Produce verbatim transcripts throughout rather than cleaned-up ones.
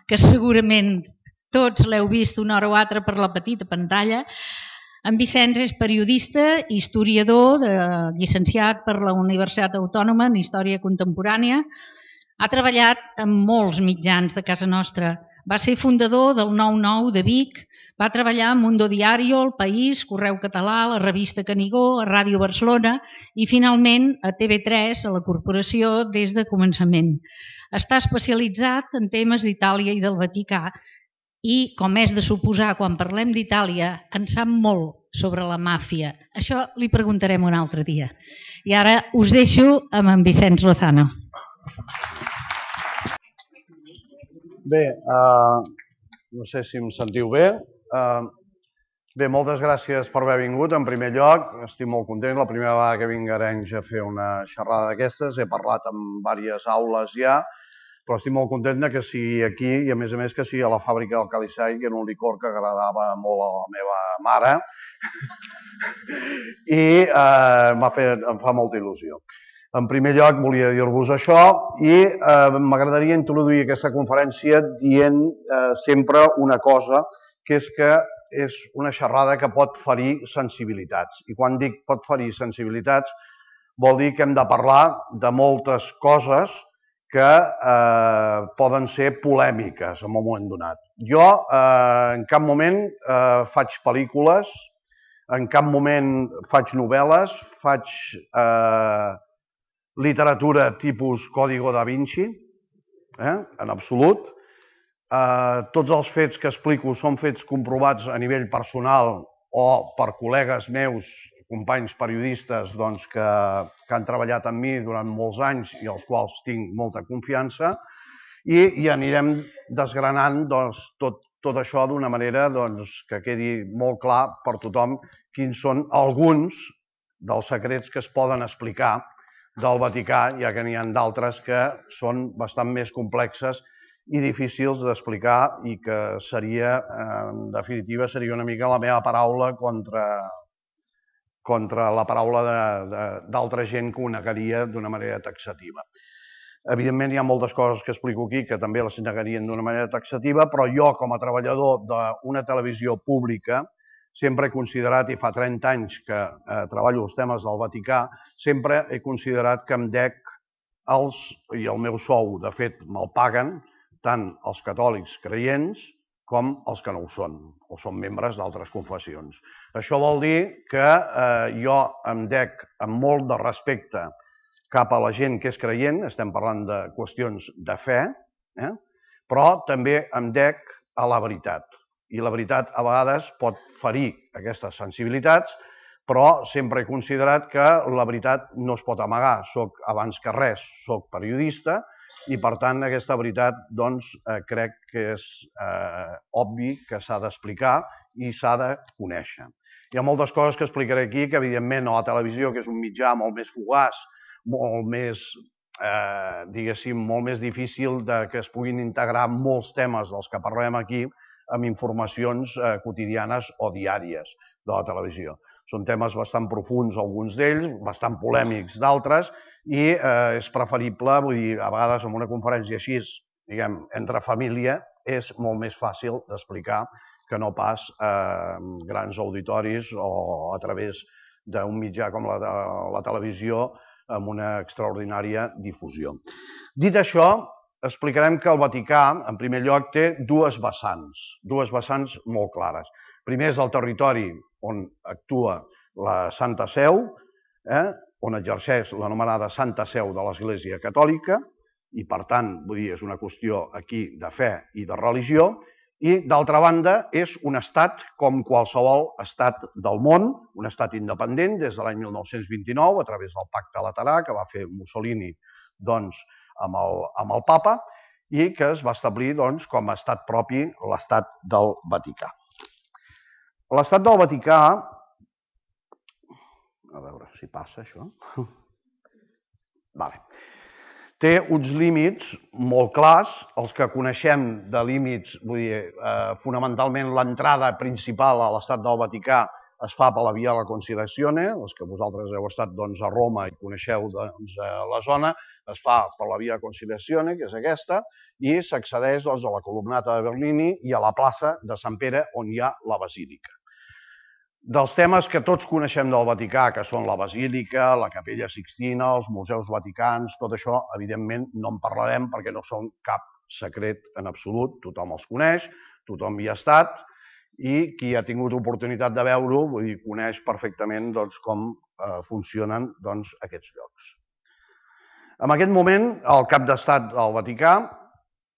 que segurament tots l'heu vist una hora o altra per la petita pantalla. En Vicenç és periodista, historiador, de, llicenciat per la Universitat Autònoma en Història Contemporània. Ha treballat en molts mitjans de casa nostra. Va ser fundador del nou nou de Vic, va treballar a Mundo Diario, El País, Correu Català, la revista Canigó, a Ràdio Barcelona i finalment a T V tres, a la corporació, des de començament. Està especialitzat en temes d'Itàlia i del Vaticà i, com és de suposar, quan parlem d'Itàlia, en sap molt sobre la màfia. Això li preguntarem un altre dia. I ara us deixo amb en Vicenç Lozano. Bé, uh, no sé si em sentiu bé. Uh, bé, moltes gràcies per haver vingut. En primer lloc, estic molt content. La primera vegada que vinc a Arenys a fer una xerrada d'aquestes. He parlat en diverses aules ja, però estic molt content que sigui aquí i, a més a més, que sigui a la fàbrica del Calissai, que era un licor que agradava molt a la meva mare i eh, em fa molta il·lusió. En primer lloc, volia dir-vos això i eh, m'agradaria introduir aquesta conferència dient eh, sempre una cosa, que és que és una xerrada que pot ferir sensibilitats. I quan dic pot ferir sensibilitats, vol dir que hem de parlar de moltes coses que eh, poden ser polèmiques en un moment donat. Jo eh, en cap moment eh, faig pel·lícules, en cap moment faig novel·les, faig eh, literatura tipus Código da Vinci, eh, en absolut. Eh, tots els fets que explico són fets comprovats a nivell personal o per col·legues meus, companys periodistes doncs, que, que han treballat amb mi durant molts anys i als quals tinc molta confiança, i, i anirem desgranant doncs, tot, tot això d'una manera doncs, que quedi molt clar per tothom quins són alguns dels secrets que es poden explicar del Vaticà, ja que n'hi ha d'altres que són bastant més complexes i difícils d'explicar i que seria, en definitiva, seria una mica la meva paraula contra... contra la paraula d'altra gent que ho negaria d'una manera taxativa. Evidentment, hi ha moltes coses que explico aquí que també les negarien d'una manera taxativa, però jo, com a treballador d'una televisió pública, sempre he considerat, i fa trenta anys que eh, treballo els temes del Vaticà, sempre he considerat que em dec els, i el meu sou, de fet, me'l paguen, tant els catòlics creients com els que no ho són, o són membres d'altres confessions. Això vol dir que eh, jo em dec amb molt de respecte cap a la gent que és creient, estem parlant de qüestions de fe, eh? Però també em dec a la veritat. I la veritat a vegades pot ferir aquestes sensibilitats, però sempre he considerat que la veritat no es pot amagar. Soc, abans que res, soc periodista, i, per tant, aquesta veritat doncs, eh, crec que és eh, obvi que s'ha d'explicar i s'ha de conèixer. Hi ha moltes coses que explicaré aquí que, evidentment, a la televisió, que és un mitjà molt més fugaç, molt més, eh, diguéssim, molt més difícil de que es puguin integrar molts temes dels que parlem aquí amb informacions eh, quotidianes o diàries de la televisió. Són temes bastant profuns, alguns d'ells, bastant polèmics d'altres, i eh, és preferible, vull dir, a vegades en una conferència així, diguem, entre família, és molt més fàcil d'explicar que no pas eh, grans auditoris o a través d'un mitjà com la, la televisió amb una extraordinària difusió. Dit això, explicarem que el Vaticà, en primer lloc, té dues vessants, dues vessants molt clares. Primer és el territori on actua la Santa Seu, eh, on exerceix l'anomenada Santa Seu de l'Església Catòlica, i per tant, vull dir, és una qüestió aquí de fe i de religió, i d'altra banda és un estat com qualsevol estat del món, un estat independent des de l'any mil nou-cents vint-i-nou a través del Pacte Laterà que va fer Mussolini doncs, amb, el, amb el papa i que es va establir doncs, com a estat propi l'estat del Vaticà. L'estat del Vaticà, a veure si passa això, vale. Té uns límits molt clars, els que coneixem de límits, vull dir, eh, fonamentalment l'entrada principal a l'estat del Vaticà es fa per la via de la Conciliazione, els que vosaltres heu estat doncs, a Roma i coneixeu doncs, la zona, es fa per la via Conciliazione, que és aquesta, i s'accedeix a la columnata de Bernini i a la plaça de Sant Pere, on hi ha la basílica. Dels temes que tots coneixem del Vaticà, que són la basílica, la capella Sixtina, els museus vaticans, tot això, evidentment, no en parlarem perquè no són cap secret en absolut, tothom els coneix, tothom hi ha estat, i qui ha tingut oportunitat de veure-ho, vull dir, coneix perfectament com funcionen aquests llocs. En aquest moment, el cap d'estat del Vaticà,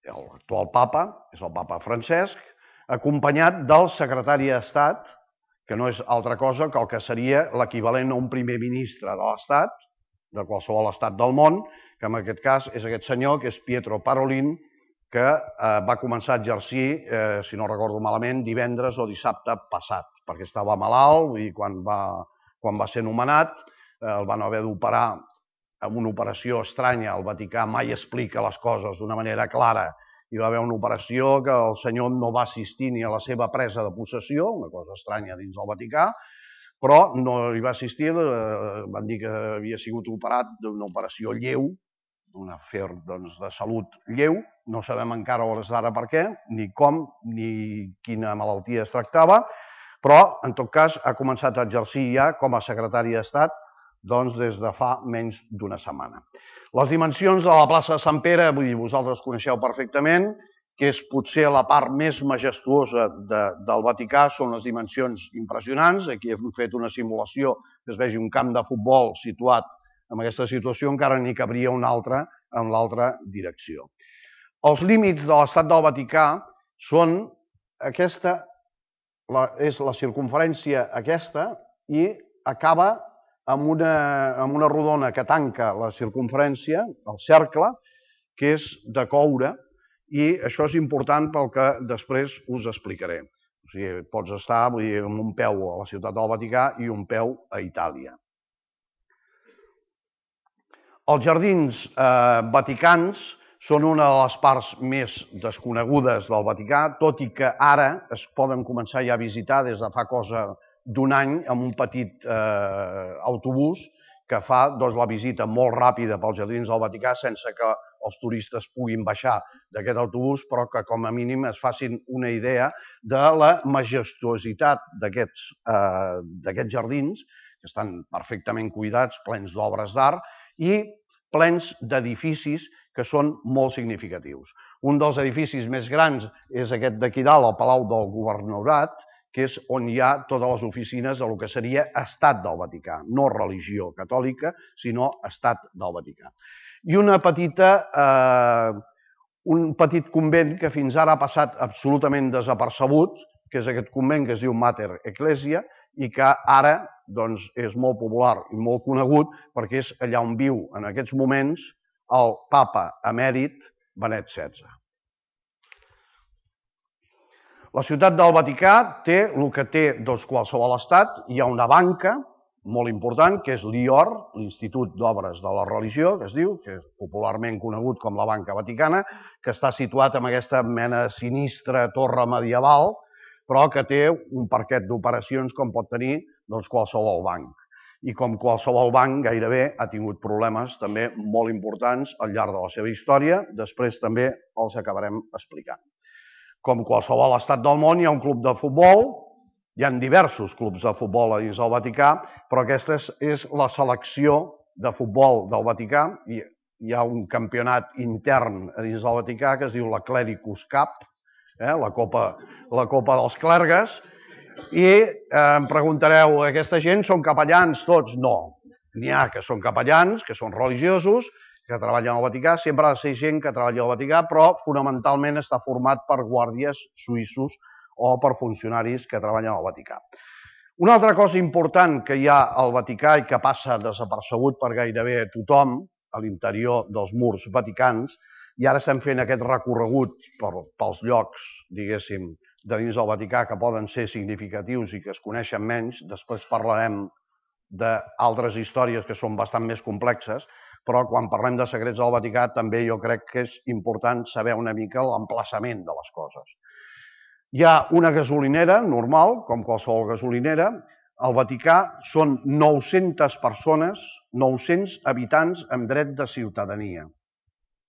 l'actual papa, és el papa Francesc, acompanyat del secretari d'Estat, que no és altra cosa que el que seria l'equivalent a un primer ministre de l'Estat, de qualsevol estat del món, que en aquest cas és aquest senyor, que és Pietro Parolin, que va començar a exercir, si no recordo malament, divendres o dissabte passat, perquè estava malalt i quan va ser nomenat el van haver d'operar amb una operació estranya. El Vaticà mai explica les coses d'una manera clara. Hi va haver una operació que el senyor no va assistir ni a la seva presa de possessió, una cosa estranya dins del Vaticà, però no hi va assistir, van dir que havia sigut operat d'una operació lleu, un afer de salut lleu, no sabem encara a hores d'ara per què, ni com, ni quina malaltia es tractava, però, en tot cas, ha començat a exercir ja com a secretari d'Estat des de fa menys d'una setmana. Les dimensions de la plaça de Sant Pere, vull dir, vosaltres coneixeu perfectament, que és potser la part més majestuosa del Vaticà, són les dimensions impressionants. Aquí hem fet una simulació que es vegi un camp de futbol situat en aquesta situació, encara n'hi cabria una altra en l'altra direcció. Els límits de l'estat del Vaticà són aquesta, és la circunferència aquesta, i acaba amb una rodona que tanca la circunferència, el cercle, que és de coure, i això és important pel que després us explicaré. O sigui, pots estar amb un peu a la ciutat del Vaticà i un peu a Itàlia. Els jardins vaticans són una de les parts més desconegudes del Vaticà, tot i que ara es poden començar ja a visitar des de fa cosa d'un any amb un petit autobús que fa la visita molt ràpida pels jardins del Vaticà sense que els turistes puguin baixar d'aquest autobús, però que com a mínim es facin una idea de la majestuositat d'aquests jardins, que estan perfectament cuidats, plens d'obres d'art i plens d'edificis que són molt significatius. Un dels edificis més grans és aquest d'aquí dalt, el Palau del Governatorat, que és on hi ha totes les oficines del que seria Estat del Vaticà, no religió catòlica, sinó Estat del Vaticà. I una petita, un petit convent que fins ara ha passat absolutament desapercebut, que és aquest convent que es diu Mater Ecclesia, i que ara és molt popular i molt conegut perquè és allà on viu en aquests moments el papa emèrit Benet setze. La ciutat del Vaticà té el que té qualsevol estat. Hi ha una banca molt important, que és l'I O R, l'Institut d'Obres de la Religió, que es diu, que és popularment conegut com la Banca Vaticana, que està situat en aquesta mena de sinistra torre medieval, però que té un parquet d'operacions com pot tenir qualsevol banc. I com qualsevol banc gairebé ha tingut problemes també molt importants al llarg de la seva història, després també els acabarem explicant. Com qualsevol estat del món hi ha un club de futbol, hi ha diversos clubs de futbol a dins del Vaticà, però aquesta és la selecció de futbol del Vaticà. Hi ha un campionat intern a dins del Vaticà que es diu la Clericus Cup, la Copa dels Clergues, i em preguntareu, aquesta gent són capellans tots? No, n'hi ha que són capellans, que són religiosos, que treballen al Vaticà, sempre ha de ser gent que treballa al Vaticà, però fonamentalment està format per guàrdies suïssos o per funcionaris que treballen al Vaticà. Una altra cosa important que hi ha al Vaticà i que passa desapercebut per gairebé tothom a l'interior dels murs vaticans, i ara estem fent aquest recorregut pels llocs, diguéssim, de dins del Vaticà que poden ser significatius i que es coneixen menys, després parlarem d'altres històries que són bastant més complexes, però quan parlem de secrets del Vaticà també jo crec que és important saber una mica l'emplaçament de les coses. Hi ha una gasolinera normal, com qualsevol gasolinera, al Vaticà són nou-centes persones, nou-cents habitants amb dret de ciutadania.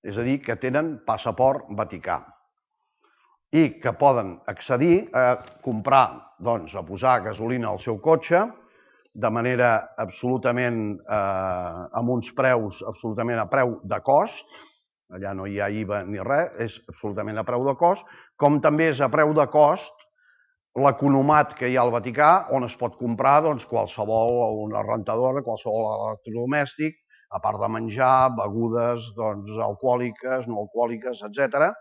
És a dir, que tenen passaport vaticà i que poden accedir a comprar, doncs, a posar gasolina al seu cotxe de manera absolutament, eh, amb uns preus absolutament a preu de cost, allà no hi ha I V A ni res, és absolutament a preu de cost, com també és a preu de cost l'economat que hi ha al Vaticà, on es pot comprar doncs, qualsevol, una rentadora, qualsevol electrodomèstic, a part de menjar, begudes doncs, alcohòliques, no alcohòliques, etcètera.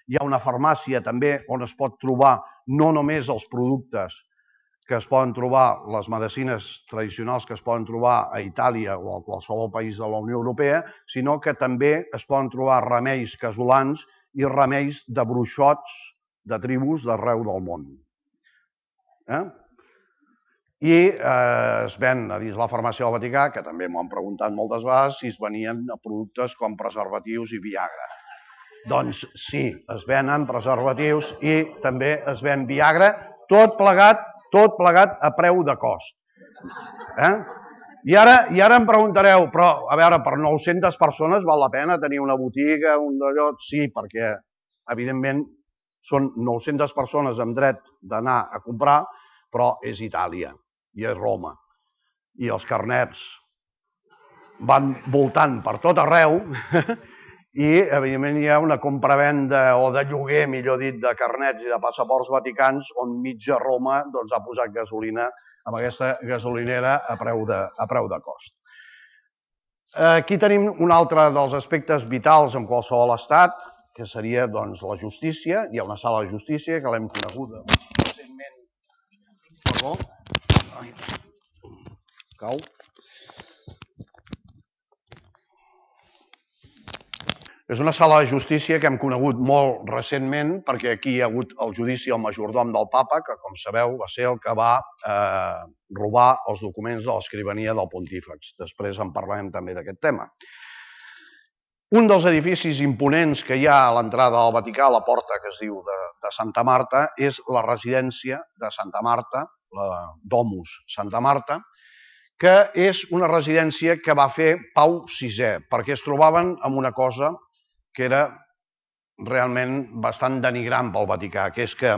Hi ha una farmàcia també on es pot trobar no només els productes que es poden trobar, les medicines tradicionals que es poden trobar a Itàlia o a qualsevol país de la Unió Europea, sinó que també es poden trobar remeis casolans i remeis de bruixots de tribus d'arreu del món. Eh? I eh, es ven a dins la farmàcia del Vaticà, que també m'ho han preguntat moltes vegades, si es venien productes com preservatius i Viagra. Doncs sí, es venen preservatius i també es ven Viagra, tot plegat, tot plegat a preu de cost. Eh? I ara, I ara em preguntareu, però, a veure, per nou-centes persones val la pena tenir una botiga, un d'allò? Sí, perquè, evidentment, són nou-centes persones amb dret d'anar a comprar, però és Itàlia i és Roma. I els carnets van voltant per tot arreu i, evidentment, hi ha una compravenda o de lloguer, millor dit, de carnets i de passaports vaticans on mitja Roma doncs, ha posat gasolina amb aquesta gasolinera a preu de, a preu de cost. Aquí tenim un altre dels aspectes vitals en qualsevol estat, que seria doncs, la justícia. Hi ha una sala de justícia que l'hem coneguda recentment. Perdó. Ai. Cau. És una sala de justícia que hem conegut molt recentment perquè aquí hi ha hagut el judici al majordom del papa, que, com sabeu, va ser el que va eh, robar els documents de l'escrivania del pontífex. Després en parlarem també d'aquest tema. Un dels edificis imponents que hi ha a l'entrada del Vaticà, a la porta que es diu de, de Santa Marta, és la residència de Santa Marta, la Domus Santa Marta, que és una residència que va fer Pau sisè, perquè es trobaven amb una cosa que era realment bastant denigrant pel Vaticà, que és que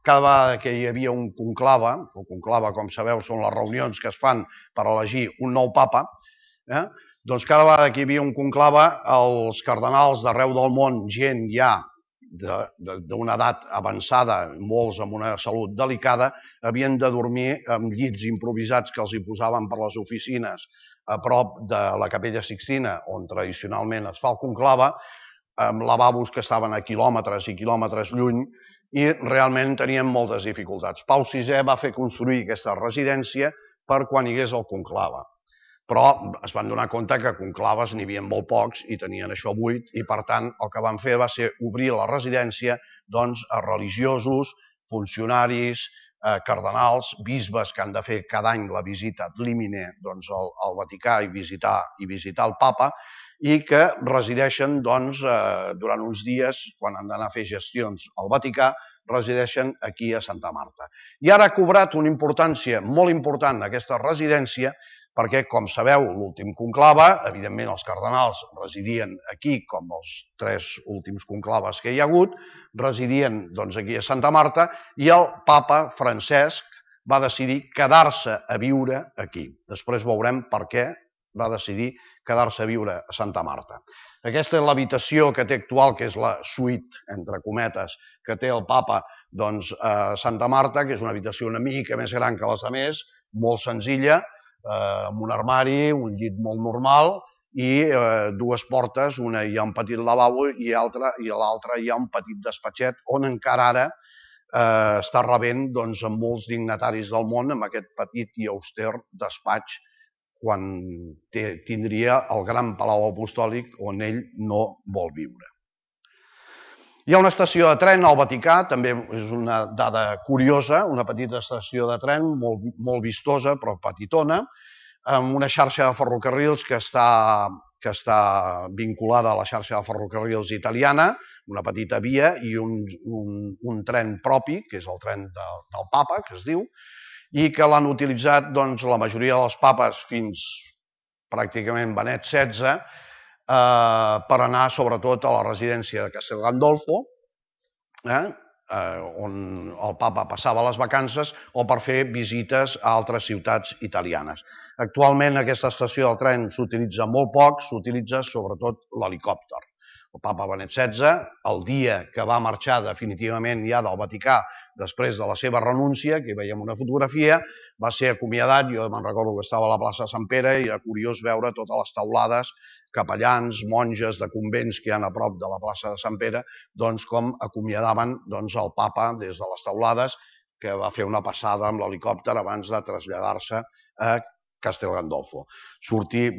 cada vegada que hi havia un conclave, el conclave, com sabeu, són les reunions que es fan per elegir un nou papa, eh? doncs cada vegada que hi havia un conclave, els cardenals d'arreu del món, gent ja d'una edat avançada, molts amb una salut delicada, havien de dormir amb llits improvisats que els hi posaven per les oficines a prop de la Capella Sixtina, on tradicionalment es fa el conclave, amb lavabos que estaven a quilòmetres i quilòmetres lluny, i realment tenien moltes dificultats. Pau sisè va fer construir aquesta residència per quan hi hagués el conclave. Però es van donar compte que conclaves n'hi havia molt pocs i tenien això buit, i per tant el que van fer va ser obrir la residència doncs, a religiosos, funcionaris, eh, cardenals, bisbes que han de fer cada any la visita ad limine doncs, al, al Vaticà i visitar, i visitar el papa, i que resideixen doncs, eh, durant uns dies, quan han d'anar a fer gestions al Vaticà, resideixen aquí a Santa Marta. I ara ha cobrat una importància molt important aquesta residència, perquè, com sabeu, l'últim conclave, evidentment els cardenals residien aquí, com els tres últims conclaves que hi ha hagut, residien doncs, aquí a Santa Marta, i el papa Francesc va decidir quedar-se a viure aquí. Després veurem per què va decidir quedar-se a viure a Santa Marta. Aquesta és l'habitació que té actual, que és la suite, entre cometes, que té el papa doncs, a Santa Marta, que és una habitació una mica més gran que les altres, molt senzilla, eh, amb un armari, un llit molt normal i eh, dues portes, una hi ha un petit lavabo i l'altra i a l'altra hi ha un petit despatxet on encara ara eh, està rebent doncs, amb molts dignataris del món amb aquest petit i auster despatx quan tindria el gran palau apostòlic on ell no vol viure. Hi ha una estació de tren al Vaticà, també és una dada curiosa, una petita estació de tren molt, molt vistosa però petitona, amb una xarxa de ferrocarrils que està, que està vinculada a la xarxa de ferrocarrils italiana, una petita via i un, un, un tren propi, que és el tren de, del papa, que es diu, i que l'han utilitzat la majoria dels papes fins pràcticament Benet setze per anar sobretot a la residència de Castel Gandolfo, on el papa passava les vacances, o per fer visites a altres ciutats italianes. Actualment aquesta estació del tren s'utilitza molt poc, s'utilitza sobretot l'helicòpter. El papa Benet setze, el dia que va marxar definitivament ja del Vaticà després de la seva renúncia, aquí veiem una fotografia, va ser acomiadat, jo me'n recordo que estava a la plaça de Sant Pere i era curiós veure totes les taulades, capellans, monges de convents que hi ha a prop de la plaça de Sant Pere, doncs com acomiadaven el papa des de les taulades, que va fer una passada amb l'helicòpter abans de traslladar-se a Castel Gandolfo.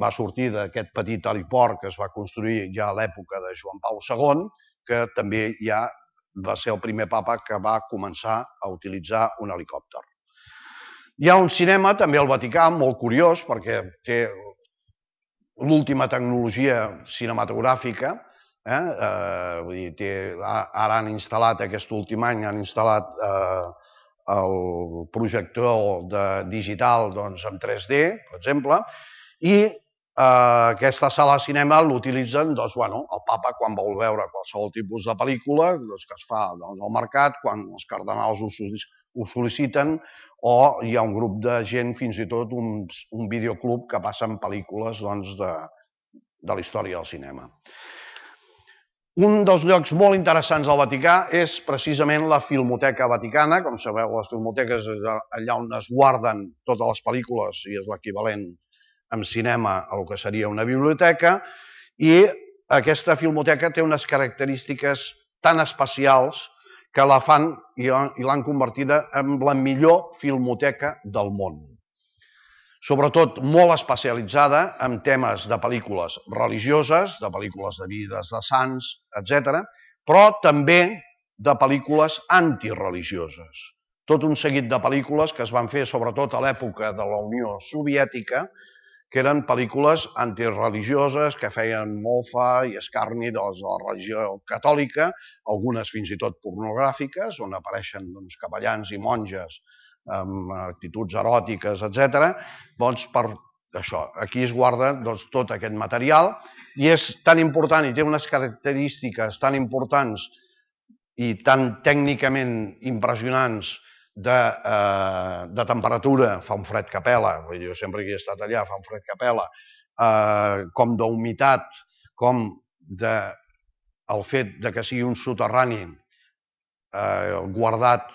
Va sortir d'aquest petit heliport que es va construir ja a l'època de Joan Pau segon, que també ja va ser el primer papa que va començar a utilitzar un helicòpter. Hi ha un cinema, també al Vaticà, molt curiós, perquè té l'última tecnologia cinematogràfica. Ara han instal·lat, aquest últim any, han instal·lat el projector digital en tres D, per exemple, i aquesta sala de cinema l'utilitzen el papa quan vol veure qualsevol tipus de pel·lícula que es fa al mercat, quan els cardenals ho sol·liciten, o hi ha un grup de gent, fins i tot un videoclub que passen pel·lícules de la història del cinema. Un dels llocs molt interessants del Vaticà és precisament la Filmoteca Vaticana. Com sabeu, les filmoteques és allà on es guarden totes les pel·lícules i és l'equivalent en cinema a el que seria una biblioteca, i aquesta filmoteca té unes característiques tan especials que la fan i l'han convertida en la millor filmoteca del món. Sobretot molt especialitzada en temes de pel·lícules religioses, de pel·lícules de vides de sants, etcètera, però també de pel·lícules antireligioses. Tot un seguit de pel·lícules que es van fer sobretot a l'època de la Unió Soviètica, que eren pel·lícules antireligioses que feien mofa i escarni de la religió catòlica, algunes fins i tot pornogràfiques, on apareixen capellans i monges amb actituds eròtiques, etcètera. Doncs per això, aquí es guarda tot aquest material i és tan important i té unes característiques tan importants i tan tècnicament impressionants de temperatura, fa un fred que pela, jo sempre que he estat allà fa un fred que pela, com d'humitat, com del fet que sigui un soterrani guardat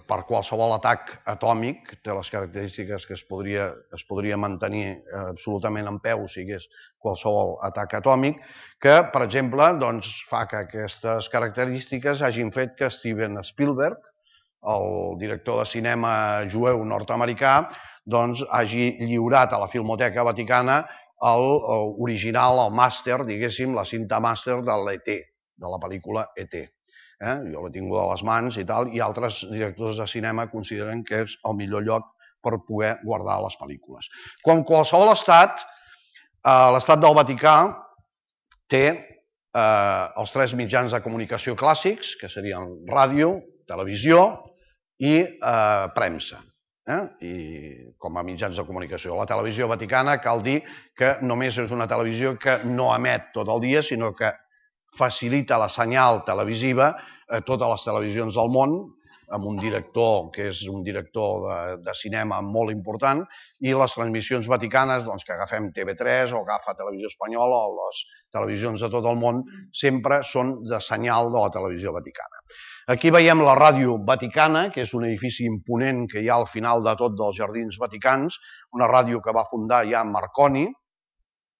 per qualsevol atac atòmic, té les característiques que es podria mantenir absolutament en peu si hi hagués qualsevol atac atòmic, que, per exemple, fa que aquestes característiques hagin fet que Steven Spielberg, el director de cinema jueu nord-americà, hagi lliurat a la Filmoteca Vaticana l'original, el màster, diguéssim, la cinta màster de l'E T, de la pel·lícula E T. Jo l'he tingut a les mans i tal, i altres directors de cinema consideren que és el millor lloc per poder guardar les pel·lícules. Com qualsevol estat, l'estat del Vaticà té els tres mitjans de comunicació clàssics, que serien ràdio, televisió i premsa, com a mitjans de comunicació. La televisió vaticana cal dir que només és una televisió que no emet tot el dia, sinó que facilita la senyal televisiva a totes les televisions del món, amb un director que és un director de cinema molt important, i les transmissions vaticanes, que agafem T V tres o agafa Televisió Espanyola o les televisions de tot el món, sempre són de senyal de la televisió vaticana. Aquí veiem la Ràdio Vaticana, que és un edifici imponent que hi ha al final de tot dels Jardins Vaticans, una ràdio que va fundar ja Marconi,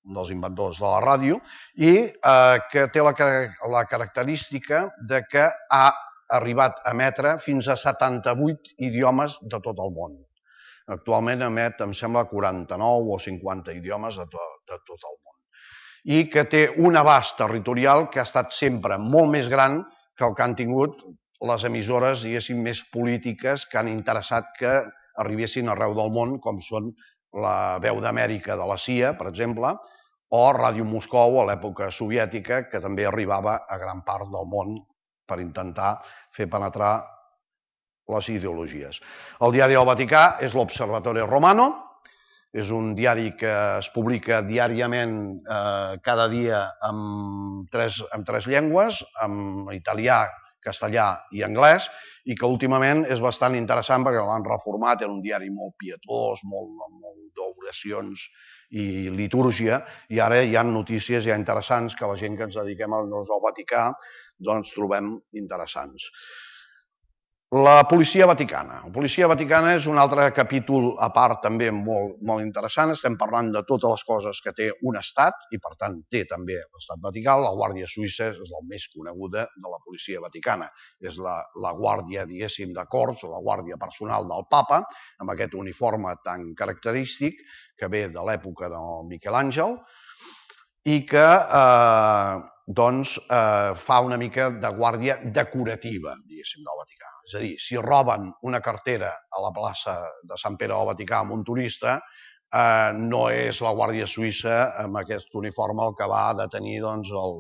un dels inventors de la ràdio, i que té la característica que ha arribat a emetre fins a setanta-vuit idiomes de tot el món. Actualment emet, em sembla, quaranta-nou o cinquanta idiomes de tot el món. I que té un abast territorial que ha estat sempre molt més gran que el que han tingut les emissores, diguéssim, més polítiques que han interessat que arribessin arreu del món, com són la Veu d'Amèrica de la C I A, per exemple, o Ràdio Moscou a l'època soviètica, que també arribava a gran part del món per intentar fer penetrar les ideologies. El diari del Vaticà és l'Observatorio Romano, és un diari que es publica diàriament eh, cada dia en tres, en tres llengües, en italià, castellà i anglès, i que últimament és bastant interessant perquè l'han reformat, era un diari molt pietós, molt, molt d'oracions i litúrgia, i ara hi ha notícies ja interessants que la gent que ens dediquem al Vaticà doncs trobem interessants. La policia vaticana. La policia vaticana és un altre capítol a part també molt, molt interessant. Estem parlant de totes les coses que té un estat i, per tant, té també l'estat vaticà. La Guàrdia Suïssa és la més coneguda de la policia vaticana. És la, la guàrdia, diguéssim, de cors, la guàrdia personal del papa, amb aquest uniforme tan característic que ve de l'època del Miquel Àngel i que eh, doncs, eh, fa una mica de guàrdia decorativa, diguéssim, del Vaticà. És a dir, si roben una cartera a la plaça de Sant Pere del Vaticà amb un turista, eh, no és la Guàrdia Suïssa amb aquest uniforme el que va detenir doncs, el,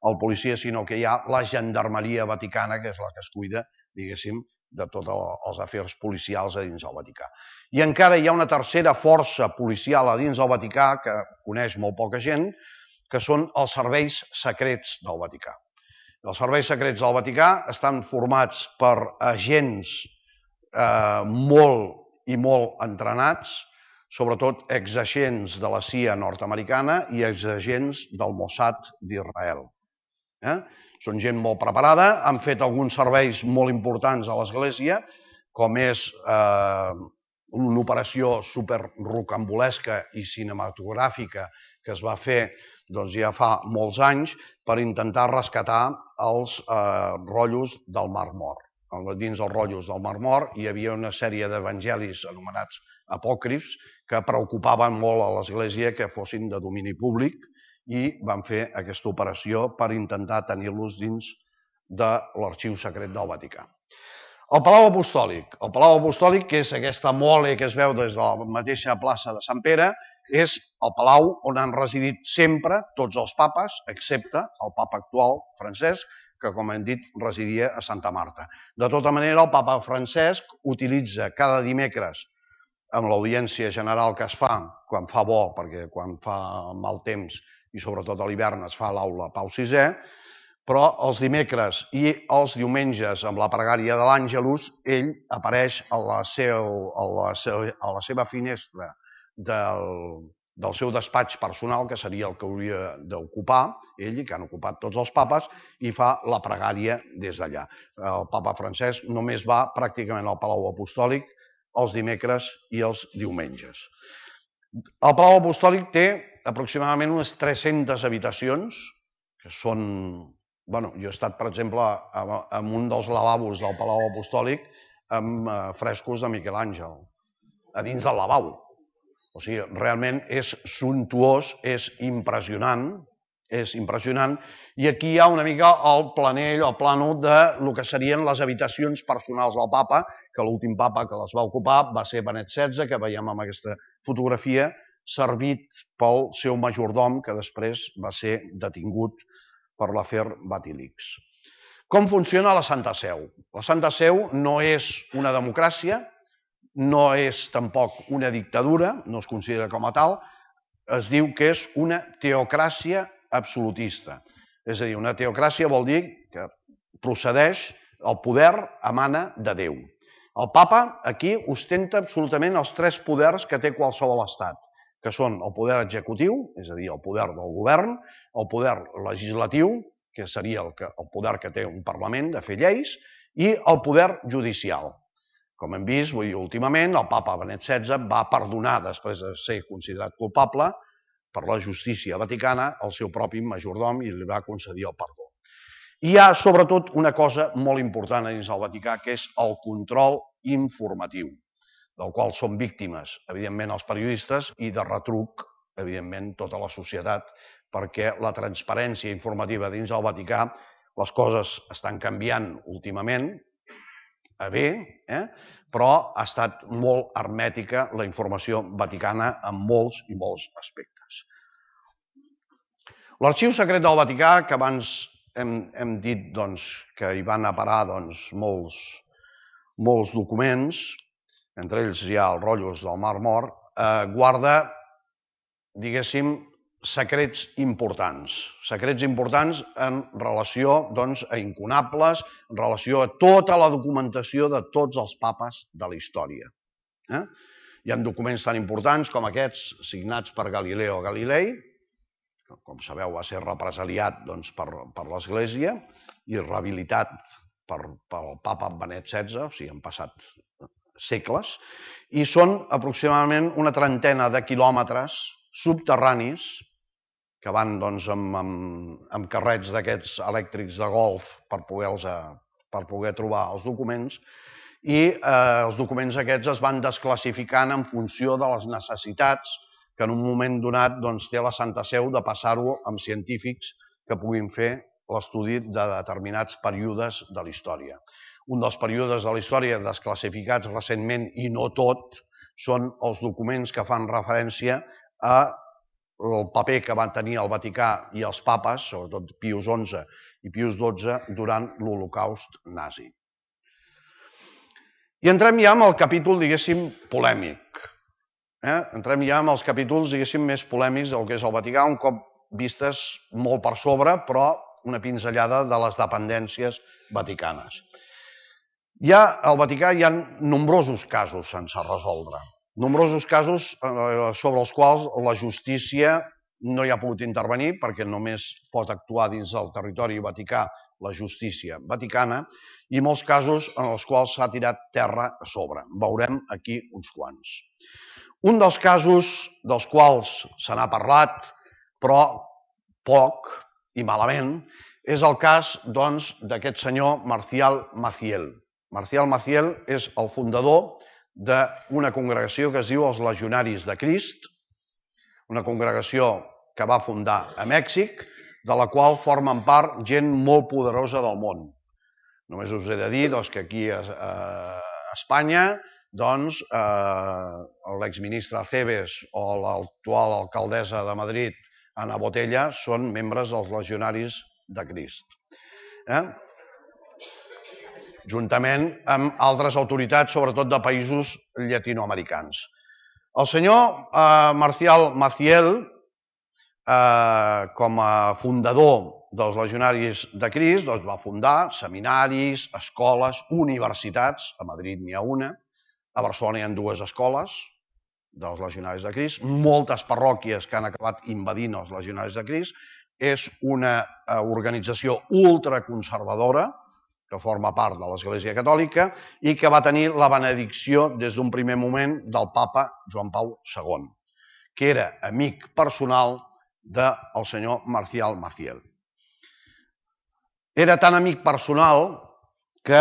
el policia, sinó que hi ha la gendarmeria vaticana, que és la que es cuida, diguéssim, de tots els afers policials a dins del Vaticà. I encara hi ha una tercera força policial a dins del Vaticà que coneix molt poca gent, que són els serveis secrets del Vaticà. Els serveis secrets del Vaticà estan formats per agents eh, molt i molt entrenats, sobretot exagents de la C I A nord-americana i exagents del Mossad d'Israel. Eh? Són gent molt preparada, han fet alguns serveis molt importants a l'Església, com és eh, una operació superrocambolesca i cinematogràfica que es va fer doncs, ja fa molts anys per intentar rescatar els eh, rotllos del Mar Mort. Dins dels rotllos del Mar Mort hi havia una sèrie d'evangelis anomenats apòcrifs que preocupaven molt a l'Església que fossin de domini públic i van fer aquesta operació per intentar tenir-los dins de l'arxiu secret del Vaticà. El Palau Apostòlic. El Palau Apostòlic, que és aquesta mole que es veu des de la mateixa plaça de Sant Pere, és el palau on han residit sempre tots els papes, excepte el papa actual, Francesc, que, com hem dit, residia a Santa Marta. De tota manera, el papa Francesc utilitza cada dimecres, amb l'audiència general que es fa, quan fa bo, perquè quan fa mal temps i sobretot a l'hivern es fa l'aula Pau sisè, però els dimecres i els diumenges amb la pregària de l'Àngelus, ell apareix a la, seu, a la, seu, a la seva finestra del, del seu despatx personal, que seria el que hauria d'ocupar ell, que han ocupat tots els papes, i fa la pregària des d'allà. El papa Francesc només va pràcticament al Palau Apostòlic els dimecres i els diumenges. El Palau Apostòlic té aproximadament unes tres-centes habitacions, que són... Bueno, jo he estat, per exemple, en un dels lavabos del Palau Apostòlic amb frescos de Miquel Àngel, a dins del lavabo. O sigui, realment és suntuós, és impressionant, és impressionant, i aquí hi ha una mica el planell, el plànol de lo que serien les habitacions personals del papa, que l'últim papa que les va ocupar va ser Benet setze, que veiem en aquesta fotografia, servit pel seu majordom, que després va ser detingut per l'afer Vatilix. Com funciona la Santa Seu? La Santa Seu no és una democràcia, no és tampoc una dictadura, no es considera com a tal, es diu que és una teocràcia absolutista. És a dir, una teocràcia vol dir que procedeix, el poder emana de Déu. El papa aquí ostenta absolutament els tres poders que té qualsevol estat, que són el poder executiu, és a dir, el poder del govern, el poder legislatiu, que seria el, que, el poder que té un parlament de fer lleis, i el poder judicial. Com hem vist, vull dir, últimament, el papa Benet setze va perdonar, després de ser considerat culpable, per la justícia vaticana, el seu propi majordom i li va concedir el perdó. Hi ha, sobretot, una cosa molt important dins del Vaticà, que és el control informatiu, del qual són víctimes, evidentment, els periodistes, i de retruc, evidentment, tota la societat, perquè la transparència informativa dins del Vaticà, les coses estan canviant últimament, a bé, eh? però ha estat molt hermètica la informació vaticana en molts i molts aspectes. L'arxiu secret del Vaticà, que abans hem, hem dit doncs, que hi van a parar doncs, molts, molts documents, entre ells hi ha els rotllos del Mar Mort, guarda, diguéssim, secrets importants. Secrets importants en relació a incunables, en relació a tota la documentació de tots els papes de la història. Hi ha documents tan importants com aquests signats per Galileo Galilei, que com sabeu va ser represaliat per l'Església i rehabilitat pel papa Benet setze, o sigui, han passat segles, i són aproximadament una trentena de quilòmetres subterranis que van amb carrets d'aquests elèctrics de golf per poder trobar els documents, i els documents aquests es van desclassificant en funció de les necessitats que en un moment donat té la Santa Seu de passar-ho amb científics que puguin fer l'estudi de determinats períodes de la història. Un dels períodes de la història desclassificats recentment, i no tot, són els documents que fan referència al paper que van tenir el Vaticà i els papes, sobretot Pius onze i Pius dotze, durant l'Holocaust nazi. I entrem ja en el capítol, diguéssim, polèmic. Entrem ja en els capítols, diguéssim, més polèmics del que és el Vaticà, un cop vistes molt per sobre, però una pinzellada de les dependències vaticanes. Ja al Vaticà hi ha nombrosos casos sense resoldre, nombrosos casos sobre els quals la justícia no hi ha pogut intervenir, perquè només pot actuar dins del territori vaticà la justícia vaticana, i molts casos en els quals s'ha tirat terra a sobre. Veurem aquí uns quants. Un dels casos dels quals se n'ha parlat, però poc i malament, és el cas d'aquest senyor Marcial Maciel. Marcial Maciel és el fundador d'una congregació que es diu els Legionaris de Crist, una congregació que va fundar a Mèxic, de la qual formen part gent molt poderosa del món. Només us he de dir que aquí a Espanya l'exministre Acebes o l'actual alcaldessa de Madrid, Ana Botella, són membres dels Legionaris de Crist, juntament amb altres autoritats, sobretot de països llatinoamericans. El senyor Marcial Maciel, com a fundador dels Legionaris de Crist, va fundar seminaris, escoles, universitats. A Madrid n'hi ha una, a Barcelona hi ha dues escoles dels Legionaris de Crist, moltes parròquies que han acabat invadint els Legionaris de Crist. És una organització ultraconservadora que forma part de l'Església Catòlica i que va tenir la benedicció des d'un primer moment del papa Joan Pau segon, que era amic personal del senyor Marcial Maciel. Era tan amic personal que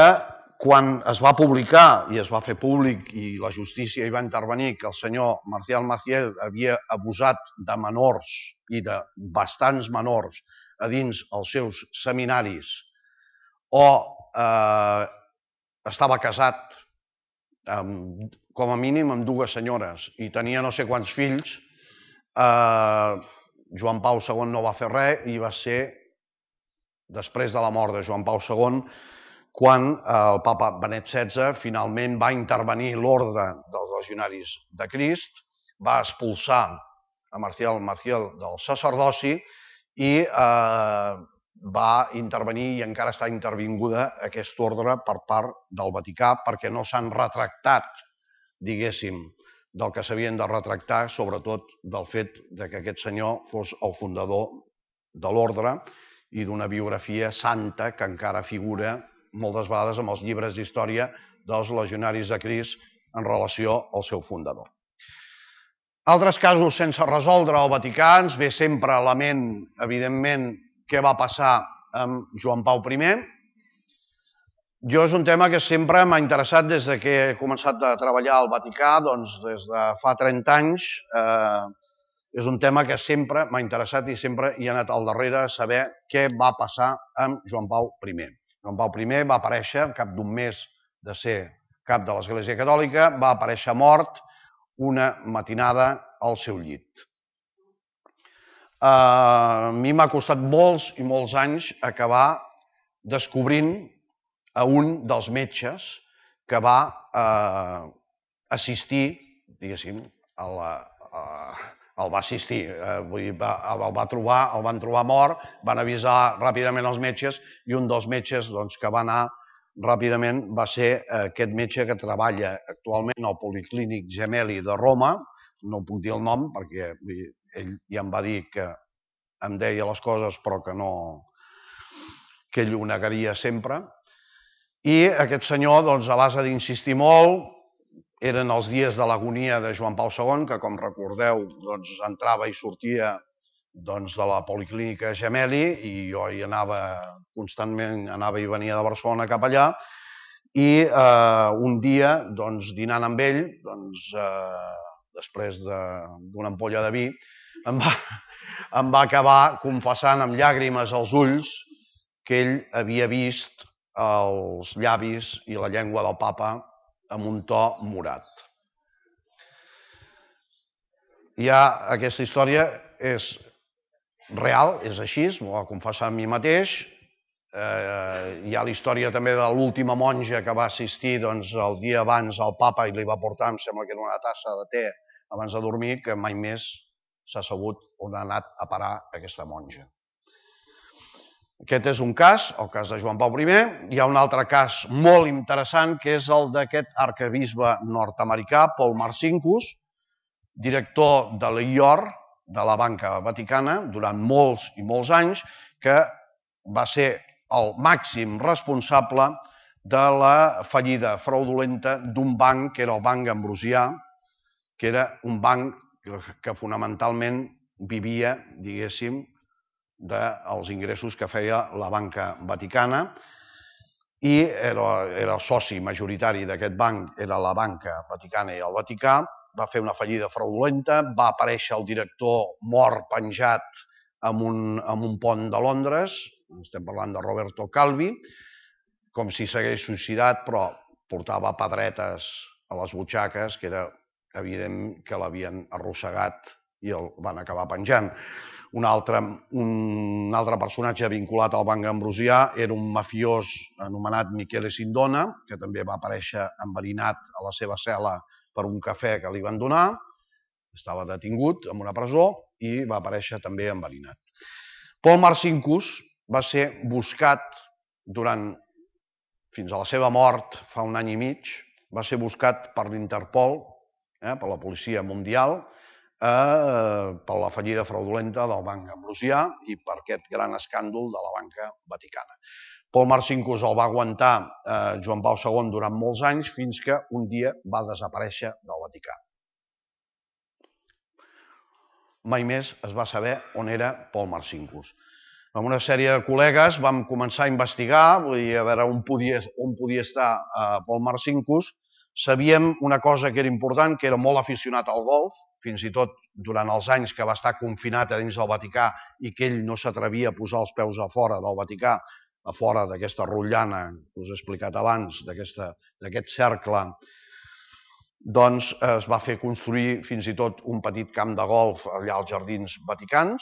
quan es va publicar i es va fer públic i la justícia hi va intervenir que el senyor Marcial Maciel havia abusat de menors i de bastants menors a dins els seus seminaris o estava casat com a mínim amb dues senyores i tenia no sé quants fills, Joan Pau segon no va fer res i va ser després de la mort de Joan Pau segon quan el papa Benet setze finalment va intervenir l'ordre dels Legionaris de Crist, va expulsar a Marcial Maciel del sacerdoci i va intervenir i encara està intervinguda aquest ordre per part del Vaticà perquè no s'han retractat, diguéssim, del que s'havien de retractar, sobretot del fet que aquest senyor fos el fundador de l'ordre i d'una biografia santa que encara figura moltes vegades en els llibres d'història dels Legionaris de Crist en relació al seu fundador. Altres casos sense resoldre al Vaticà ens ve sempre a la ment, evidentment, què va passar amb Joan Pau primer. Jo és un tema que sempre m'ha interessat des que he començat a treballar al Vaticà, doncs des de fa trenta anys. És un tema que sempre m'ha interessat i sempre hi ha anat al darrere a saber què va passar amb Joan Pau primer. Joan Pau primer va aparèixer, al cap d'un mes de ser cap de l'Església Catòlica, va aparèixer mort una matinada al seu llit. A mi m'ha costat molts i molts anys acabar descobrint a un dels metges que va assistir, diguéssim, a la... el va assistir, vull dir, el va trobar, el van trobar mort, van avisar ràpidament els metges i un dels metges que va anar ràpidament va ser aquest metge que treballa actualment al Policlínic Gemelli de Roma, no puc dir el nom perquè ell ja em va dir que em deia les coses però que no, que ell ho negaria sempre. I aquest senyor, a base d'insistir molt, eren els dies de l'agonia de Joan Pau segon, que com recordeu entrava i sortia de la Policlínica Gemelli i jo hi anava constantment, anava i venia de Barcelona cap allà, i un dia, dinant amb ell, després d'una ampolla de vi, em va acabar confessant amb llàgrimes als ulls que ell havia vist els llavis i la llengua del papa amb un to morat. Ja aquesta història és real, és així, m'ho va confessar a mi mateix. Hi ha la història també de l'última monja que va assistir el dia abans al papa i li va portar, em sembla que era una tassa de te abans de dormir, que mai més s'ha sabut on ha anat a parar aquesta monja. Aquest és un cas, el cas de Joan Pau primer. Hi ha un altre cas molt interessant, que és el d'aquest arquebisbe nord-americà, Paul Marcinkus, director de l'I O R, de la Banca Vaticana, durant molts i molts anys, que va ser el màxim responsable de la fallida fraudulenta d'un banc, que era el Banc Ambrosià, que era un banc que fonamentalment vivia, diguéssim, dels ingressos que feia la Banca Vaticana, i era el soci majoritari d'aquest banc, era la Banca Vaticana i el Vaticà. Va fer una fallida fraudulenta, va aparèixer el director mort penjat en un pont de Londres, estem parlant de Roberto Calvi, com si s'hagués suïcidat, però portava pedretes a les butxaques, que era evident que l'havien arrossegat i el van acabar penjant. Un altre personatge vinculat al Banc Ambrosià era un mafiós anomenat Michele Sindona, que també va aparèixer enverinat a la seva cel·la per un cafè que li van donar, estava detingut en una presó i va aparèixer també enverinat. Paul Marcinkus va ser buscat durant, fins a la seva mort fa un any i mig, va ser buscat per l'Interpol, per la policia mundial, per la fallida fraudulenta del Banc Ambrosià i per aquest gran escàndol de la Banca Vaticana. Paul Marcinkus el va aguantar Joan Pau segon durant molts anys fins que un dia va desaparèixer del Vaticà. Mai més es va saber on era Paul Marcinkus. Amb una sèrie de col·legues vam començar a investigar, vull dir, a veure on podia estar Paul Marcinkus. Sabíem una cosa que era important, que era molt aficionat al golf, fins i tot durant els anys que va estar confinat a dins del Vaticà i que ell no s'atrevia a posar els peus a fora del Vaticà, a fora d'aquesta rotllana que us he explicat abans, d'aquest cercle, doncs es va fer construir fins i tot un petit camp de golf allà als Jardins Vaticans.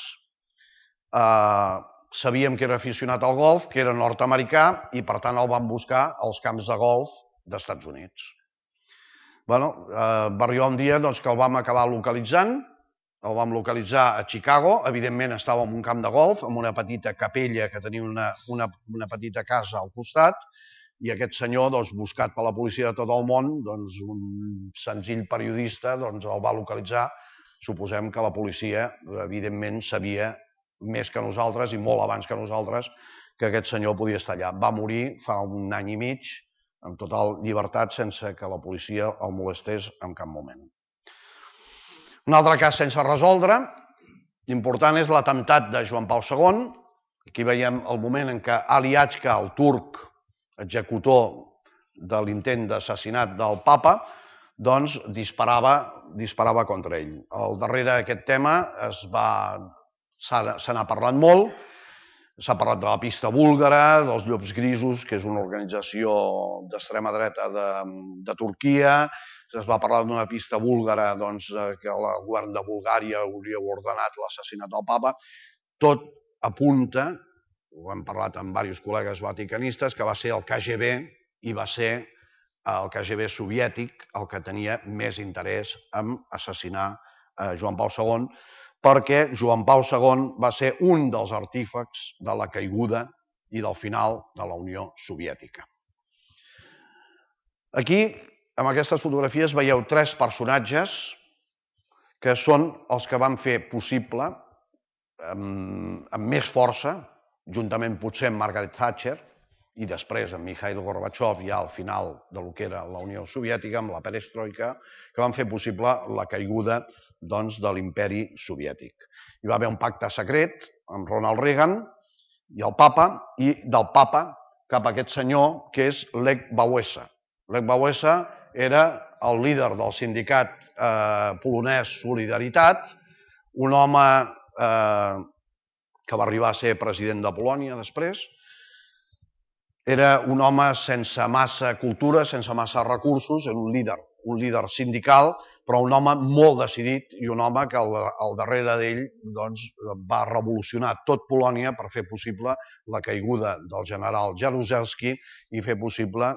Sabíem que era aficionat al golf, que era nord-americà i per tant el van buscar als camps de golf dels Estats Units. Va arribar un dia que el vam acabar localitzant, el vam localitzar a Chicago, evidentment estava en un camp de golf, amb una petita capella que tenia una petita casa al costat, i aquest senyor, buscat per la policia de tot el món, un senzill periodista, el va localitzar. Suposem que la policia, evidentment, sabia més que nosaltres i molt abans que nosaltres que aquest senyor podia estar allà. Va morir fa un any i mig, amb total llibertat, sense que la policia el molestés en cap moment. Un altre cas sense resoldre, important, és l'atemptat de Joan Pau segon. Aquí veiem el moment en què Ali Achca, el turc executor de l'intent d'assassinat del papa, doncs disparava contra ell. Al darrere d'aquest tema se n'ha parlat molt. S'ha parlat de la pista búlgara, dels Llops Grisos, que és una organització d'extrema dreta de Turquia. Es va parlar d'una pista búlgara que el govern de Bulgària hauria ordenat l'assassinat del papa. Tot apunta, ho hem parlat amb diversos col·legues vaticanistes, que va ser el K G B i va ser el K G B soviètic el que tenia més interès en assassinar Joan Pau segon, perquè Joan Pau segon va ser un dels artífecs de la caiguda i del final de la Unió Soviètica. Aquí, en aquestes fotografies, veieu tres personatges que són els que van fer possible, amb més força, juntament potser amb Margaret Thatcher, i després amb Mikhail Gorbachev ja al final del que era la Unió Soviètica, amb la perestroika, que van fer possible la caiguda de l'imperi soviètic. Hi va haver un pacte secret amb Ronald Reagan i el papa, i del papa cap a aquest senyor que és Lech Wałęsa. Lech Wałęsa era el líder del sindicat polonès Solidaritat, un home que va arribar a ser president de Polònia després. Era un home sense massa cultura, sense massa recursos, era un líder, un líder sindical, però un home molt decidit i un home que al darrere d'ell va revolucionar tot Polònia per fer possible la caiguda del general Jaruzelski i fer possible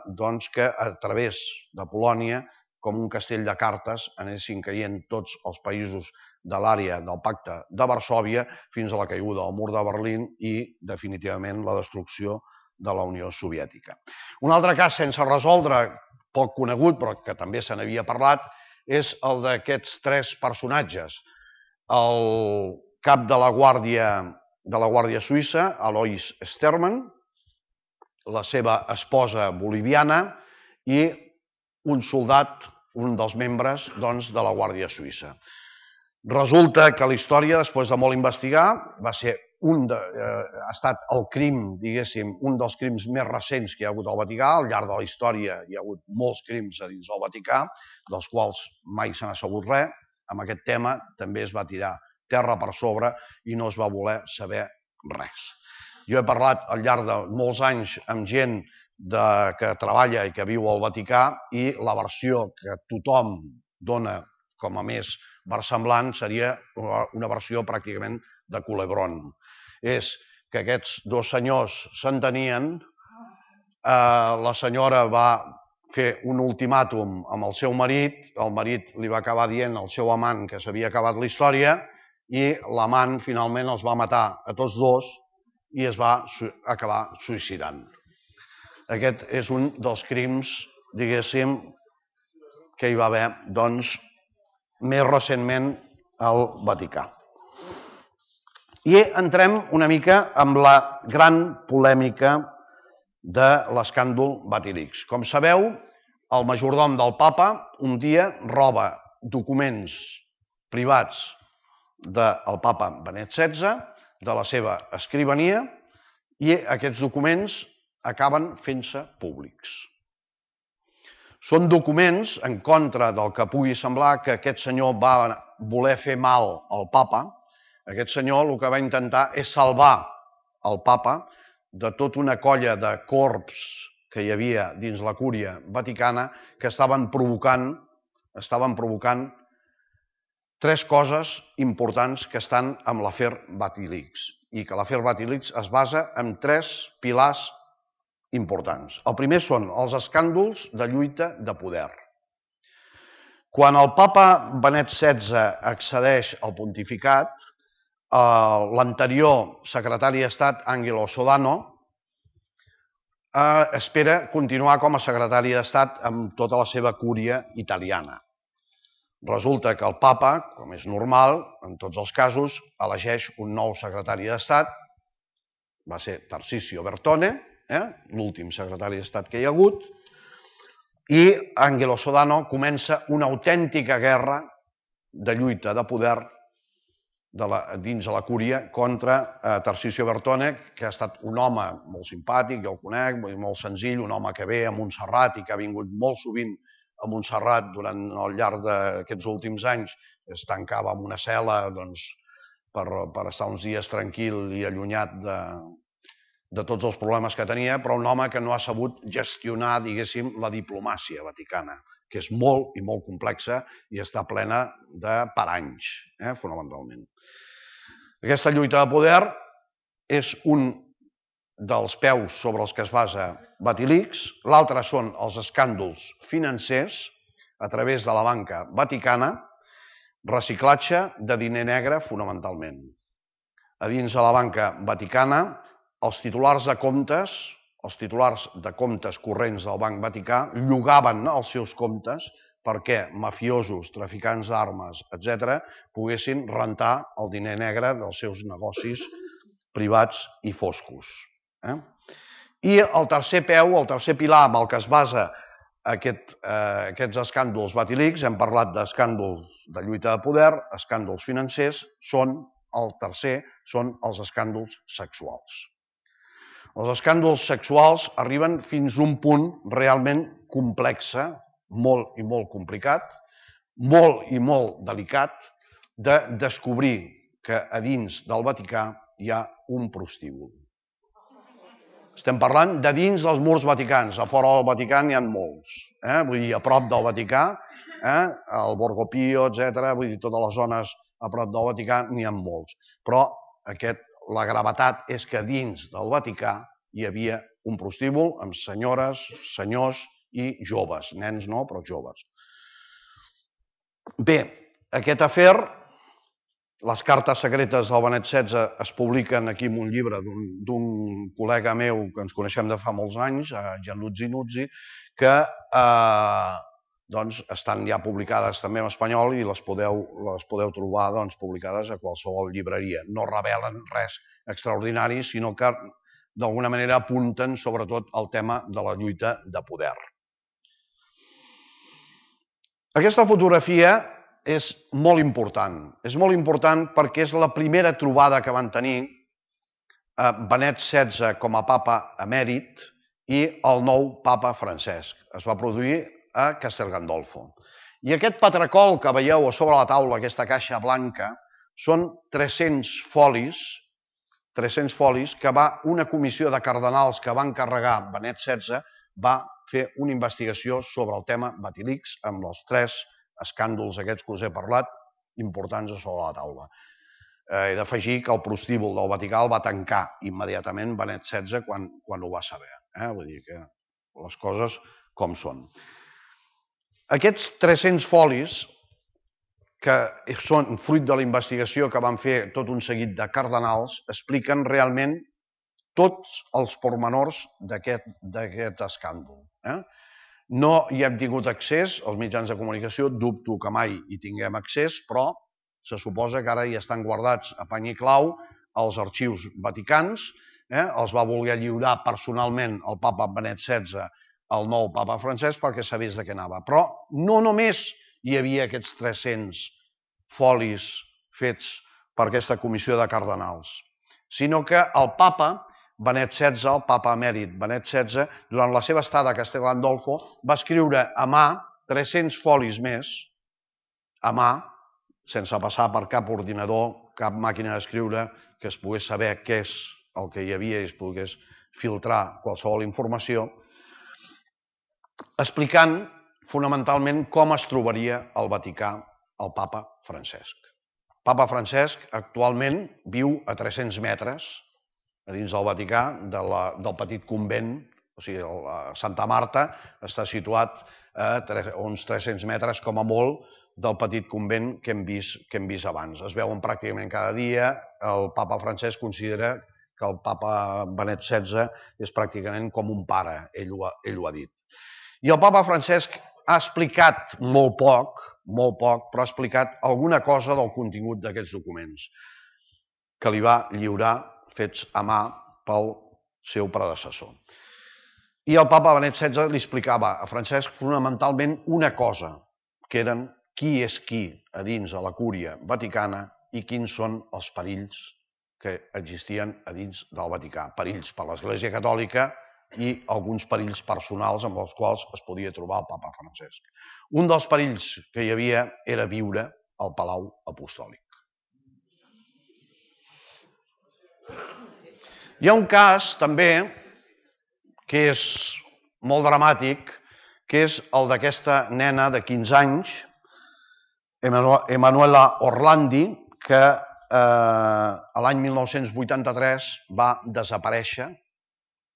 que a través de Polònia, com un castell de cartes, anessin caient tots els països de l'àrea del Pacte de Varsòvia fins a la caiguda del mur de Berlín i, definitivament, la destrucció de la Unió Soviètica. Un altre cas sense resoldre, poc conegut, però que també se n'havia parlat, és el d'aquests tres personatges. El cap de la Guàrdia Suïssa, Alois Stermann, la seva esposa boliviana i un soldat, un dels membres de la Guàrdia Suïssa. Resulta que la història, després de molt investigar, va ser ha estat el crim, diguéssim, un dels crims més recents que hi ha hagut al Vaticà. Al llarg de la història hi ha hagut molts crims a dins del Vaticà, dels quals mai se n'ha sabut res. Amb aquest tema també es va tirar terra per sobre i no es va voler saber res. Jo he parlat al llarg de molts anys amb gent que treballa i que viu al Vaticà i la versió que tothom dona com a més versemblant seria una versió pràcticament de Culebron. És que aquests dos senyors s'entenien, la senyora va fer un ultimàtum amb el seu marit, el marit li va acabar dient al seu amant que s'havia acabat la història i l'amant finalment els va matar a tots dos i es va acabar suïcidant. Aquest és un dels crims, diguéssim, que hi va haver, doncs, més recentment al Vaticà. I entrem una mica amb la gran polèmica de l'escàndol Vatilix. Com sabeu, el majordom del papa un dia roba documents privats del papa Benet setze, de la seva escrivania, i aquests documents acaben fent-se públics. Són documents en contra del que pugui semblar que aquest senyor va voler fer mal al papa. Aquest senyor el que va intentar és salvar el papa de tota una colla de corbs que hi havia dins la cúria vaticana que estaven provocant, estaven provocant tres coses importants que estan amb l'afer Vatilix i que l'afer Vatilix es basa en tres pilars importants. El primer són els escàndols de lluita de poder. Quan el papa Benet setze accedeix al pontificat, l'anterior secretari d'Estat, Angelo Sodano, espera continuar com a secretari d'Estat amb tota la seva cúria italiana. Resulta que el papa, com és normal, en tots els casos, elegeix un nou secretari d'Estat, va ser Tarcisio Bertone, l'últim secretari d'Estat que hi ha hagut, i Angelo Sodano comença una autèntica guerra de lluita de poder dins de la cúria contra Tarcisio Bertone, que ha estat un home molt simpàtic, jo el conec, molt senzill, un home que ve a Montserrat i que ha vingut molt sovint a Montserrat durant el llarg d'aquests últims anys, es tancava en una cel·la per estar uns dies tranquil i allunyat de tots els problemes que tenia, però un home que no ha sabut gestionar, diguéssim, la diplomàcia vaticana, que és molt i molt complexa i està plena de paranys, fonamentalment. Aquesta lluita de poder és un dels peus sobre els que es basa Vatilix, l'altre són els escàndols financers a través de la banca vaticana, reciclatge de diner negre fonamentalment. A dins de la banca vaticana, els titulars de comptes, els titulars de comptes corrents del Banc Vaticà llogaven els seus comptes perquè mafiosos, traficants d'armes, etcètera, poguessin rentar el diner negre dels seus negocis privats i foscos. I el tercer peu, el tercer pilar amb el que es basa aquests escàndols Vatilix, hem parlat d'escàndols de lluita de poder, escàndols financers, són el tercer, són els escàndols sexuals. Els escàndols sexuals arriben fins a un punt realment complex, molt i molt complicat, molt i molt delicat, de descobrir que a dins del Vaticà hi ha un prostíbul. Estem parlant de dins dels murs vaticans, a fora del Vaticà n'hi ha molts, vull dir, a prop del Vaticà, el Borgo Pio, etcètera, vull dir, totes les zones a prop del Vaticà n'hi ha molts. Però la gravetat és que dins del Vaticà hi havia un prostíbul amb senyores, senyors i joves, nens no, però joves. Bé, aquest afer, les cartes secretes del Benet setze es publiquen aquí en un llibre d'un col·lega meu que ens coneixem de fa molts anys, Gianluigi Nuzzi, que estan ja publicades també en espanyol i les podeu trobar publicades a qualsevol llibreria. No revelen res extraordinari, sinó que d'alguna manera apunten sobretot al tema de la lluita de poder. Aquesta fotografia és molt important. És molt important perquè és la primera trobada que van tenir Benet setze com a papa emèrit i el nou papa Francesc. Es va produir a Castel Gandolfo. I aquest patracol que veieu a sobre la taula, aquesta caixa blanca, són tres-cents folis, tres-cents folis que va una comissió de cardenals que va encarregar Benet setze, va fer una investigació sobre el tema Vatilix amb els tres escàndols aquests que us he parlat, importants a sobre la taula. He d'afegir que el prostíbul del Vaticà el va tancar immediatament Benet setze quan ho va saber. Vull dir que les coses com són. Aquests tres-cents folis, que són fruit de la investigació que van fer tot un seguit de cardenals, expliquen realment tots els pormenors d'aquest escàndol. No hi hem tingut accés, els mitjans de comunicació, dubto que mai hi tinguem accés, però se suposa que ara hi estan guardats a pany i clau als arxius vaticans, els va voler lliurar personalment el papa Benet setze al nou papa Francesc perquè sabés de què anava. Però no només hi havia aquests tres-cents folis fets per aquesta comissió de cardenals, sinó que el papa Benet setze, el papa emèrit Benet setze, durant la seva estada a Castel Gandolfo, va escriure a mà tres-cents folis més, a mà, sense passar per cap ordinador, cap màquina d'escriure, que es pogués saber què és el que hi havia i es pogués filtrar qualsevol informació, explicant fonamentalment com es trobaria al Vaticà el papa Francesc. El papa Francesc actualment viu a tres-cents metres a dins del Vaticà, del petit convent, o sigui, Santa Marta està situat a uns tres-cents metres com a molt del petit convent que hem vist abans. Es veuen pràcticament cada dia. El papa Francesc considera que el papa Benet setze és pràcticament com un pare, ell ho ha dit. I el papa Francesc ha explicat molt poc, molt poc, però ha explicat alguna cosa del contingut d'aquests documents que li va lliurar fets a mà pel seu predecessor. I el papa Benet setze li explicava a Francesc fonamentalment una cosa, que eren qui és qui a dins de la cúria vaticana i quins són els perills que existien a dins del Vaticà. Perills per l'Església Catòlica i alguns perills personals amb els quals es podia trobar el papa Francesc. Un dels perills que hi havia era viure al Palau Apostòlic. Hi ha un cas, també, que és molt dramàtic, que és el d'aquesta nena de quinze anys, Emanuela Orlandi, que l'any mil nou-cents vuitanta-tres va desaparèixer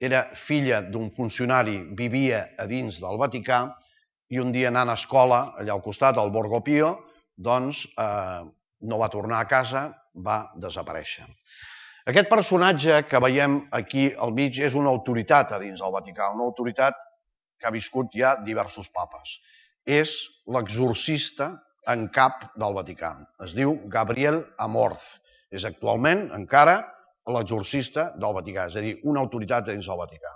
era filla d'un funcionari, vivia a dins del Vaticà, i un dia anant a escola, allà al costat, al Borgo Pio, doncs eh, no va tornar a casa, va desaparèixer. Aquest personatge que veiem aquí al mig és una autoritat a dins del Vaticà, una autoritat que ha viscut ja diversos papes. És l'exorcista en cap del Vaticà. Es diu Gabriel Amorth. És actualment, encara, l'exorcista del Vaticà, és a dir, una autoritat dins del Vaticà.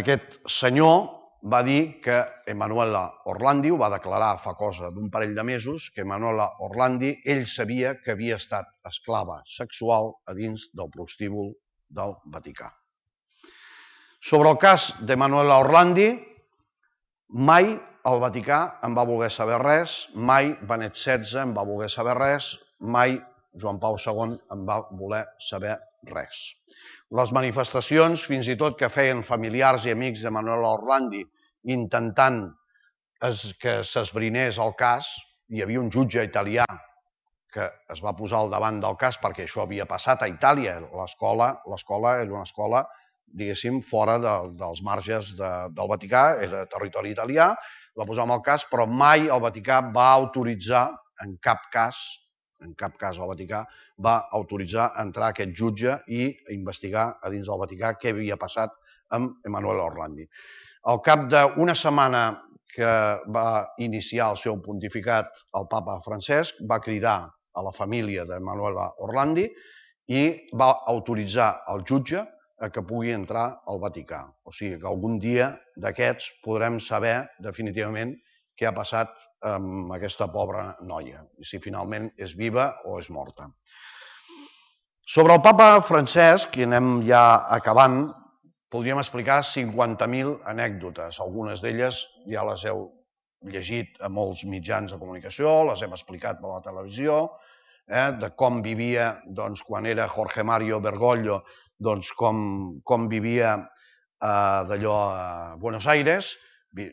Aquest senyor va dir que Emanuela Orlandi, ho va declarar fa cosa d'un parell de mesos, que Emanuela Orlandi, ell sabia que havia estat esclava sexual a dins del prostíbul del Vaticà. Sobre el cas d'Emanuela Orlandi, mai el Vaticà en va voler saber res, mai Benet setze en va voler saber res, mai Joan Pau segon en va voler saber res. Les manifestacions, fins i tot que feien familiars i amics d'Emanuela Orlandi, intentant que s'esbrinés el cas, hi havia un jutge italià que es va posar al davant del cas perquè això havia passat a Itàlia. L'escola era una escola, diguéssim, fora dels marges del Vaticà, era territori italià, va posar en el cas, però mai el Vaticà va autoritzar, en cap cas, en cap cas el Vaticà va autoritzar entrar aquest jutge i investigar a dins del Vaticà què havia passat amb Emanuela Orlandi. Al cap d'una setmana que va iniciar el seu pontificat el papa Francesc, va cridar a la família d'Emanuela Orlandi i va autoritzar el jutge a que pugui entrar al Vaticà. O sigui que algun dia d'aquests podrem saber definitivament què ha passat amb aquesta pobra noia, i si finalment és viva o és morta. Sobre el papa Francesc, i anem ja acabant, podríem explicar cinquanta mil anècdotes. Algunes d'elles ja les heu llegit a molts mitjans de comunicació, les hem explicat per la televisió, de com vivia quan era Jorge Mario Bergoglio, com vivia d'allò a Buenos Aires.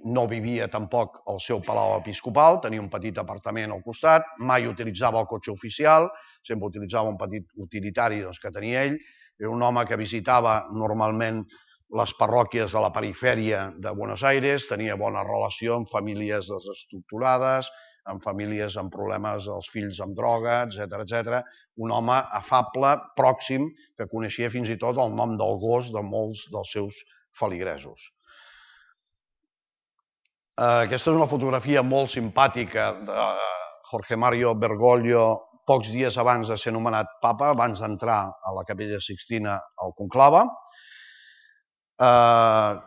No vivia tampoc al seu palau episcopal, tenia un petit apartament al costat, mai utilitzava el cotxe oficial, sempre utilitzava un petit utilitari que tenia ell. Era un home que visitava normalment les parròquies de la perifèria de Buenos Aires, tenia bona relació amb famílies desestructurades, amb famílies amb problemes, els fills amb droga, etcètera, etcètera. Un home afable, pròxim, que coneixia fins i tot el nom del gos de molts dels seus feligresos. Aquesta és una fotografia molt simpàtica de Jorge Mario Bergoglio pocs dies abans de ser nomenat papa, abans d'entrar a la Capella Sixtina al conclave.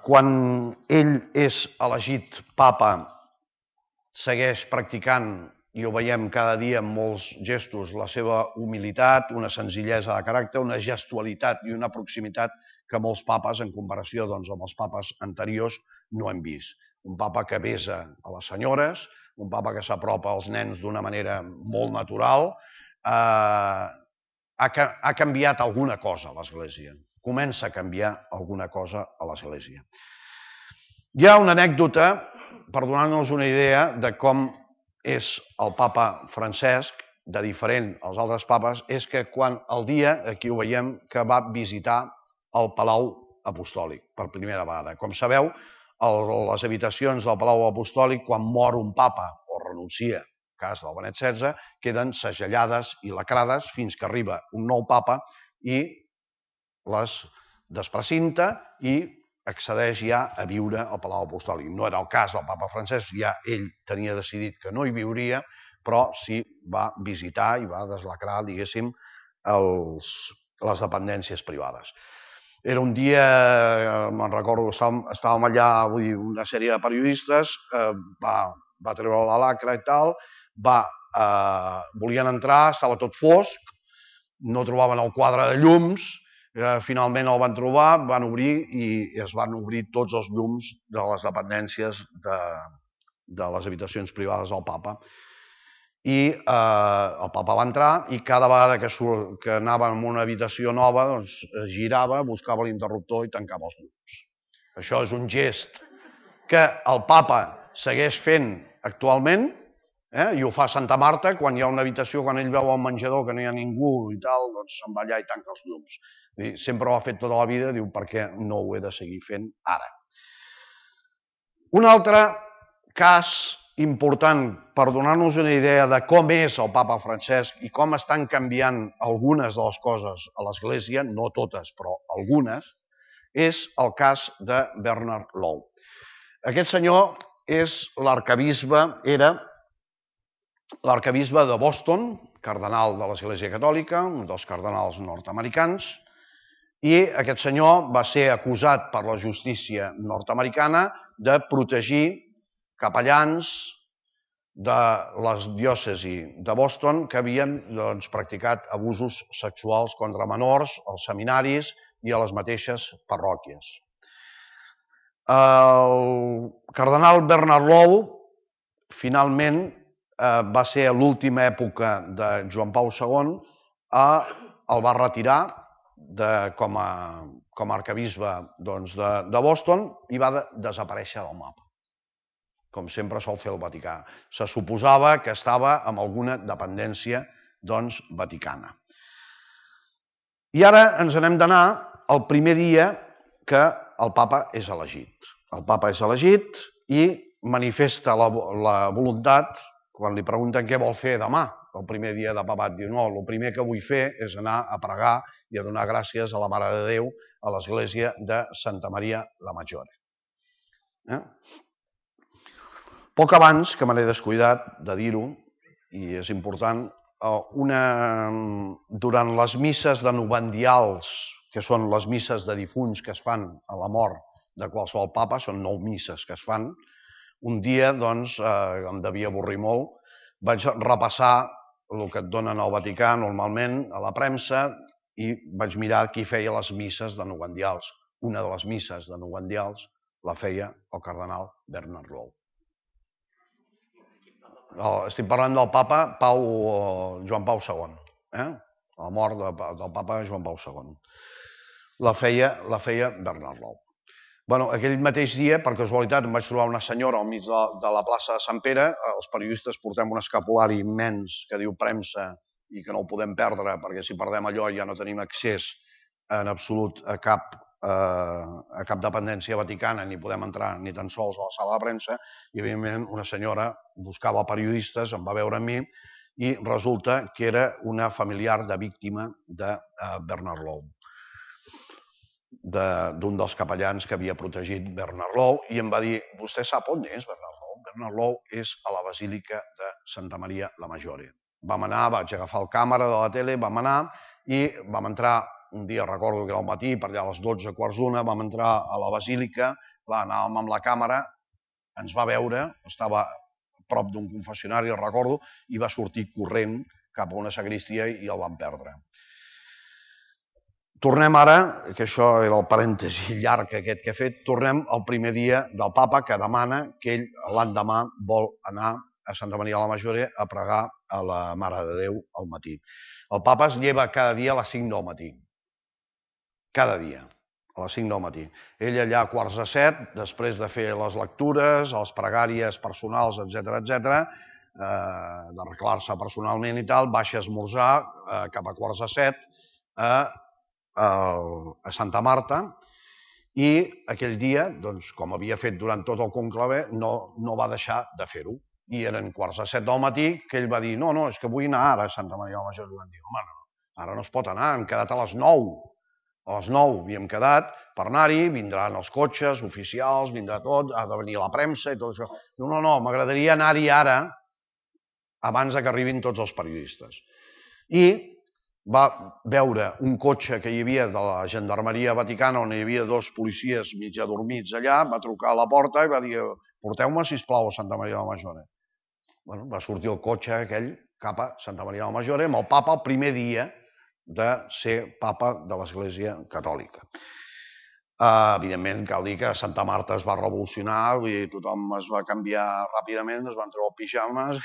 Quan ell és elegit papa, segueix practicant, i ho veiem cada dia en molts gestos, la seva humilitat, una senzillesa de caràcter, una gestualitat i una proximitat que molts papes, en comparació amb els papes anteriors, no hem vist. Un papa que besa a les senyores, un papa que s'apropa als nens d'una manera molt natural. Ha canviat alguna cosa a l'Església. Comença a canviar alguna cosa a l'Església. Hi ha una anècdota, per donar-nos una idea de com és el papa Francesc, de diferent als altres papes, és que quan el dia, aquí ho veiem, que va visitar el Palau Apostòlic per primera vegada. Com sabeu, les habitacions del Palau Apostòlic, quan mor un papa o renuncia, cas del Benet setze, queden segellades i lacrades fins que arriba un nou papa i les desprecinta i accedeix ja a viure al Palau Apostòlic. No era el cas del papa Francesc, ja ell tenia decidit que no hi viuria, però sí va visitar i va deslacrar, diguéssim, les dependències privades. Era un dia, me'n recordo, estàvem allà, vull dir, una sèrie de periodistes, va treure la lacra i tal, volien entrar, estava tot fosc, no trobaven el quadre de llums, finalment el van trobar, van obrir i es van obrir tots els llums de les dependències de les habitacions privades del papa. I el papa va entrar i cada vegada que anava en una habitació nova es girava, buscava l'interruptor i tancava els llums. Això és un gest que el papa segueix fent actualment, I ho fa a Santa Marta, quan hi ha una habitació, quan ell veu al menjador que no hi ha ningú i tal, doncs se'n va allà i tanca els llums. Sempre ho ha fet tota la vida, diu, per què no ho he de seguir fent ara? Un altre cas important per donar-nos una idea de com és el papa Francesc i com estan canviant algunes de les coses a l'Església, no totes, però algunes, és el cas de Bernard Law. Aquest senyor és l'arquebisbe, era l'arquebisbe de Boston, cardenal de l'Església Catòlica, un dels cardenals nord-americans, i aquest senyor va ser acusat per la justícia nord-americana de protegir capellans de la diòcesi de Boston que havien practicat abusos sexuals contra menors als seminaris i a les mateixes parròquies. El cardenal Bernard Law finalment va ser a l'última època de Joan Pau segon, el va retirar com a arquebisbe de Boston i va desaparèixer del mapa, com sempre sol fer el Vaticà. Se suposava que estava en alguna dependència vaticana. I ara ens n'hem d'anar el primer dia que el papa és elegit. El papa és elegit i manifesta la voluntat, quan li pregunten què vol fer demà, el primer dia de papat, diu, no, el primer que vull fer és anar a pregar i a donar gràcies a la Mare de Déu a l'església de Santa Maria la Maggiore. Poc abans, que me n'he descuidat de dir-ho, i és important, durant les misses de novendials, que són les misses de difunts que es fan a la mort de qualsevol papa, són nou misses que es fan, un dia, doncs, em devia avorrir molt, vaig repassar el que et donen al Vaticà normalment, a la premsa, i vaig mirar qui feia les misses de novendials. Una de les misses de novendials la feia el cardenal Bernard Law. Estic parlant del papa Joan Pau segon, la mort del papa Joan Pau segon. La feia Bernard Law. Aquell mateix dia, per casualitat, em vaig trobar una senyora al mig de la plaça de Sant Pere. Els periodistes portem un escapulari immens que diu premsa i que no el podem perdre, perquè si perdem allò ja no tenim accés en absolut a cap dependència vaticana, ni podem entrar ni tan sols a la sala de premsa, i evidentment una senyora buscava periodistes, em va veure a mi, i resulta que era una familiar de víctima de Bernard Law, d'un dels capellans que havia protegit Bernard Law, i em va dir, vostè sap on és Bernard Law? Bernard Law és a la Basílica de Santa Maria la Maggiore. Vam anar, vaig agafar el càmera de la tele, vam anar i vam entrar, un dia recordo que era al matí, per allà a les dotze, quarts d'una, vam entrar a la Basílica, anàvem amb la càmera, ens va veure, estava a prop d'un confessionari, el recordo, i va sortir corrent cap a una sagristia i el vam perdre. Tornem ara, que això era el parèntesi llarg aquest que he fet, tornem al primer dia del papa que demana que ell l'endemà vol anar a Santa Maria la Maggiore a pregar a la Mare de Déu al matí. El papa es lleva cada dia a les cinc del matí. Cada dia, a les cinc del matí. Ell allà a quarts de set, després de fer les lectures, les pregàries personals, etcètera, etcètera, d'arreglar-se personalment i tal, baixa a esmorzar cap a quarts de set a Santa Marta, i aquell dia, com havia fet durant tot el conclave, no va deixar de fer-ho. I eren quarts de set del matí que ell va dir, no, no, és que vull anar ara a Santa Maria la Maggiore. I van dir, home, no, ara no es pot anar, hem quedat a les nou. A les nou havíem quedat per anar-hi, vindran els cotxes oficials, vindrà tot, ha de venir la premsa i tot això. No, no, no, m'agradaria anar-hi ara, abans que arribin tots els periodistes. I va veure un cotxe que hi havia de la Gendarmeria Vaticana on hi havia dos policies mig adormits allà, va trucar a la porta i va dir, porteu-me, sisplau, a Santa Maria la Maggiore. Va sortir el cotxe aquell cap a Santa Maria la Maggiore amb el papa el primer dia de ser papa de l'Església Catòlica. Evidentment, cal dir que Santa Marta es va revolucionar i tothom es va canviar ràpidament, es van treure els pijames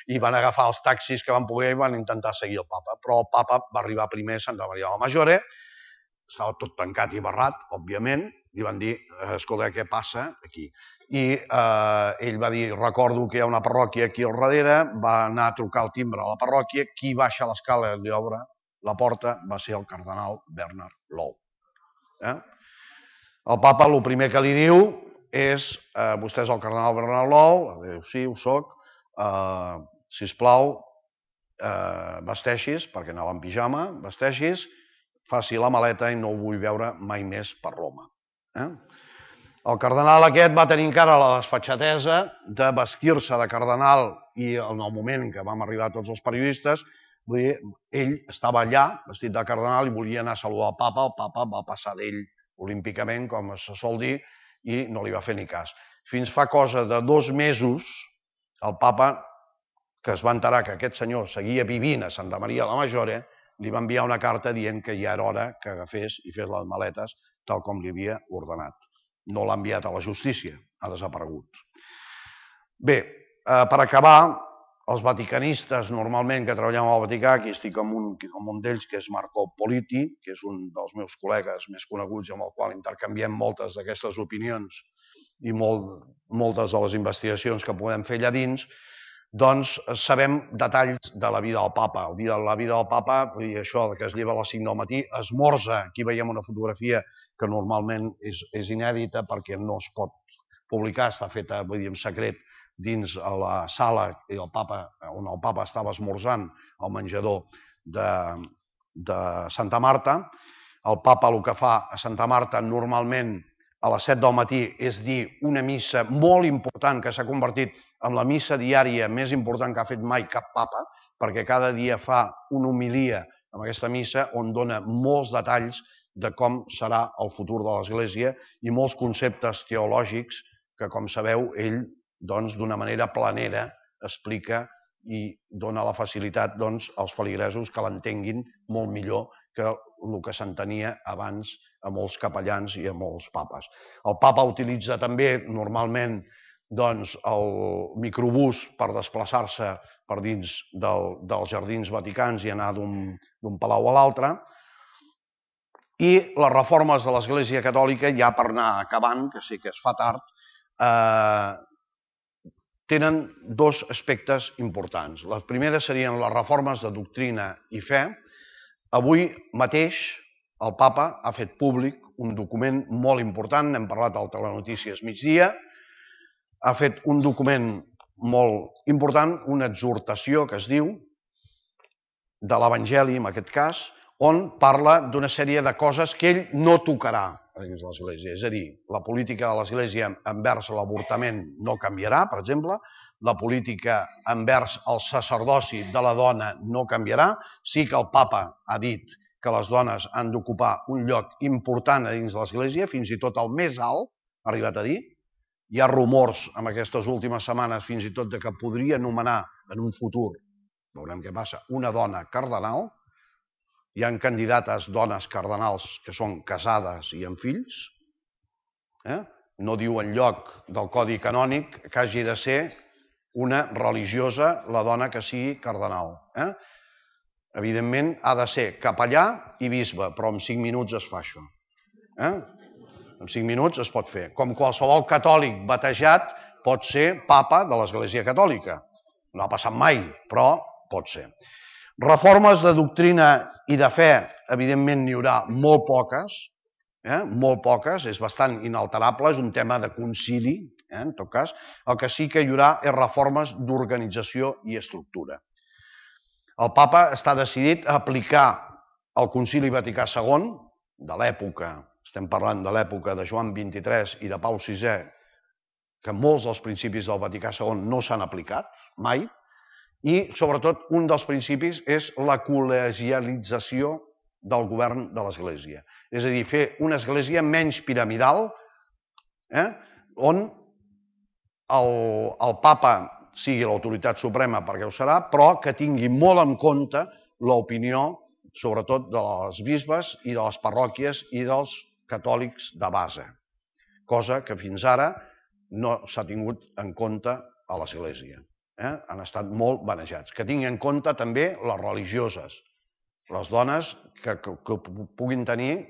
i van agafar els taxis que van poder i van intentar seguir el papa. Però el papa va arribar primer a Santa Maria la Maggiore, estava tot tancat i barrat, òbviament, i van dir, escolta, què passa aquí? i ell va dir, recordo que hi ha una parròquia aquí al darrere, va anar a trucar al timbre a la parròquia, qui baixa l'escala i li obre la porta va ser el cardenal Bernard Law. El papa el primer que li diu és, vostè és el cardenal Bernard Law? Diu, sí, ho soc. Sisplau, vesteixis, perquè anava en pijama, vesteixis, faci la maleta i no ho vull veure mai més per Roma. El cardenal aquest va tenir encara la desfatxatesa de vestir-se de cardenal i en el moment en què vam arribar tots els periodistes, ell estava allà, vestit de cardenal, i volia anar a saludar el papa, el papa va passar d'ell olímpicament, com se sol dir, i no li va fer ni cas. Fins fa cosa de dos mesos, el papa, que es va enterar que aquest senyor seguia vivint a Santa Maria la Majore, li va enviar una carta dient que ja era hora que agafés i fes les maletes tal com li havia ordenat. No l'ha enviat a la justícia, ha desaparegut. Bé, per acabar, els vaticanistes normalment que treballem al Vaticà, aquí estic amb un d'ells que és Marco Politi, que és un dels meus col·legues més coneguts amb el qual intercanviem moltes d'aquestes opinions i moltes de les investigacions que podem fer allà dins, doncs sabem detalls de la vida del papa. La vida del papa, això que es lleva a les cinc del matí, esmorza, aquí veiem una fotografia que normalment és inèdita perquè no es pot publicar, està feta en secret dins la sala on el papa estava esmorzant al menjador de Santa Marta. El papa el que fa a Santa Marta normalment a les set del matí és dir una missa molt important que s'ha convertit en la missa diària més important que ha fet mai cap papa, perquè cada dia fa una homilia en aquesta missa on dona molts detalls de com serà el futur de l'Església i molts conceptes teològics que, com sabeu, ell d'una manera planera explica i dona la facilitat als feligresos que l'entenguin molt millor que el que s'entenia abans a molts capellans i a molts papes. El papa utilitza també normalment el microbús per desplaçar-se per dins dels jardins vaticans i anar d'un palau a l'altre. I les reformes de l'Església Catòlica, ja per anar acabant, que sé que es fa tard, tenen dos aspectes importants. Les primeres serien les reformes de doctrina i fe. Avui mateix el papa ha fet públic un document molt important, n'hem parlat al Telenotícies migdia, ha fet un document molt important, una exhortació que es diu, de l'Evangeli en aquest cas, on parla d'una sèrie de coses que ell no tocarà dins l'Església. És a dir, la política de l'Església envers l'avortament no canviarà, per exemple, la política envers el sacerdoci de la dona no canviarà. Sí que el papa ha dit que les dones han d'ocupar un lloc important a dins l'Església, fins i tot el més alt, ha arribat a dir. Hi ha rumors en aquestes últimes setmanes fins i tot que podria nomenar en un futur, veurem què passa, una dona cardenal. Hi ha candidates dones cardenals que són casades i amb fills. No diu enlloc del Codi Canònic que hagi de ser una religiosa la dona que sigui cardenal. Evidentment ha de ser capellà i bisbe, però en cinc minuts es fa això. En cinc minuts es pot fer. Com qualsevol catòlic batejat pot ser papa de l'Església Catòlica. No ha passat mai, però pot ser. Reformes de doctrina i de fe, evidentment n'hi haurà molt poques, molt poques, és bastant inalterable, és un tema de concili, en tot cas. El que sí que hi haurà és reformes d'organització i estructura. El papa està decidit a aplicar el Concili Vaticà segon, de l'època, estem parlant de l'època de Joan vint-i-tres i de Pau sisè, que molts dels principis del Vaticà segon no s'han aplicat mai, i sobretot un dels principis és la col·legialització del govern de l'Església. És a dir, fer una església menys piramidal, on el papa sigui l'autoritat suprema, perquè ho serà, però que tingui molt en compte l'opinió, sobretot de les bisbes i de les parròquies i dels catòlics de base, cosa que fins ara no s'ha tingut en compte a l'Església. Han estat molt banejats. Que tingui en compte també les religioses, les dones que puguin tenir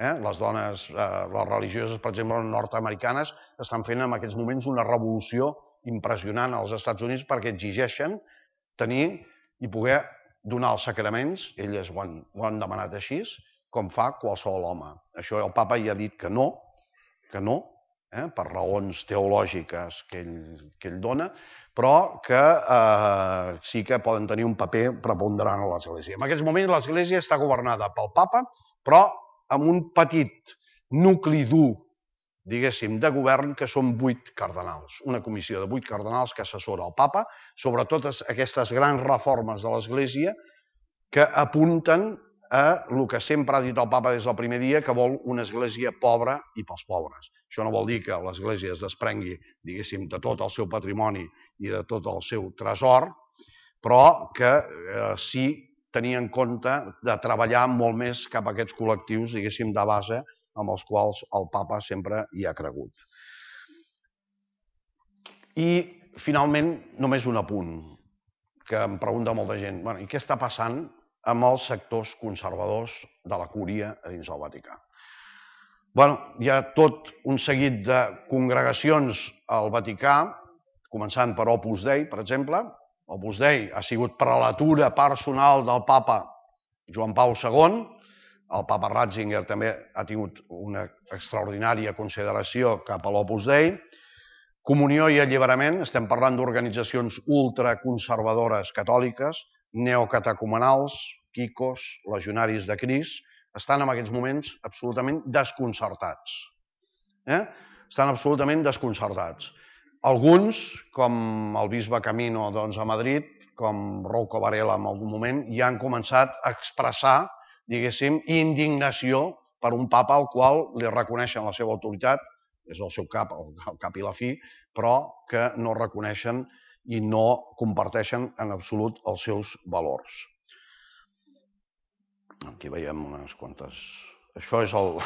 Les dones, les religioses, per exemple, nord-americanes, estan fent en aquests moments una revolució impressionant als Estats Units perquè exigeixen tenir i poder donar els sacraments, elles ho han, ho han demanat així, com fa qualsevol home. Això el papa ja ha dit que no, que no, eh, per raons teològiques que ell, que ell dona, però que eh, sí que poden tenir un paper preponderant a l'Església. En aquests moments l'Església està governada pel papa, però amb un petit nucli dur, diguéssim, de govern, que són vuit cardenals. Una comissió de vuit cardenals que assessora el papa sobre totes aquestes grans reformes de l'Església que apunten a el que sempre ha dit el papa des del primer dia, que vol una església pobra i pels pobres. Això no vol dir que l'església es desprengui, diguéssim, de tot el seu patrimoni i de tot el seu tresor, però que eh, sí tenir en compte de treballar molt més cap a aquests col·lectius, diguéssim, de base, amb els quals el papa sempre hi ha cregut. I, finalment, només un apunt, que em pregunta molta gent. Bueno, i què està passant amb els sectors conservadors de la cúria a dins del Vaticà? Bueno, hi ha tot un seguit de congregacions al Vaticà, començant per Opus Dei, per exemple. Opus Dei ha sigut prelatura personal del papa Joan Pau segon. El papa Ratzinger també ha tingut una extraordinària consideració cap a l'Opus Dei. Comunió i alliberament, estem parlant d'organitzacions ultraconservadores catòliques, neocatecumenals, quicos, legionaris de Crist, estan en aquests moments absolutament desconcertats. Eh? Estan absolutament desconcertats. Alguns, com el bisbe Camino doncs, a Madrid, com Rouco Varela en algun moment, ja han començat a expressar, diguéssim, indignació per un papa al qual li reconeixen la seva autoritat, és el seu cap, el cap i la fi, però que no reconeixen i no comparteixen en absolut els seus valors. Aquí veiem unes quantes... Això és el...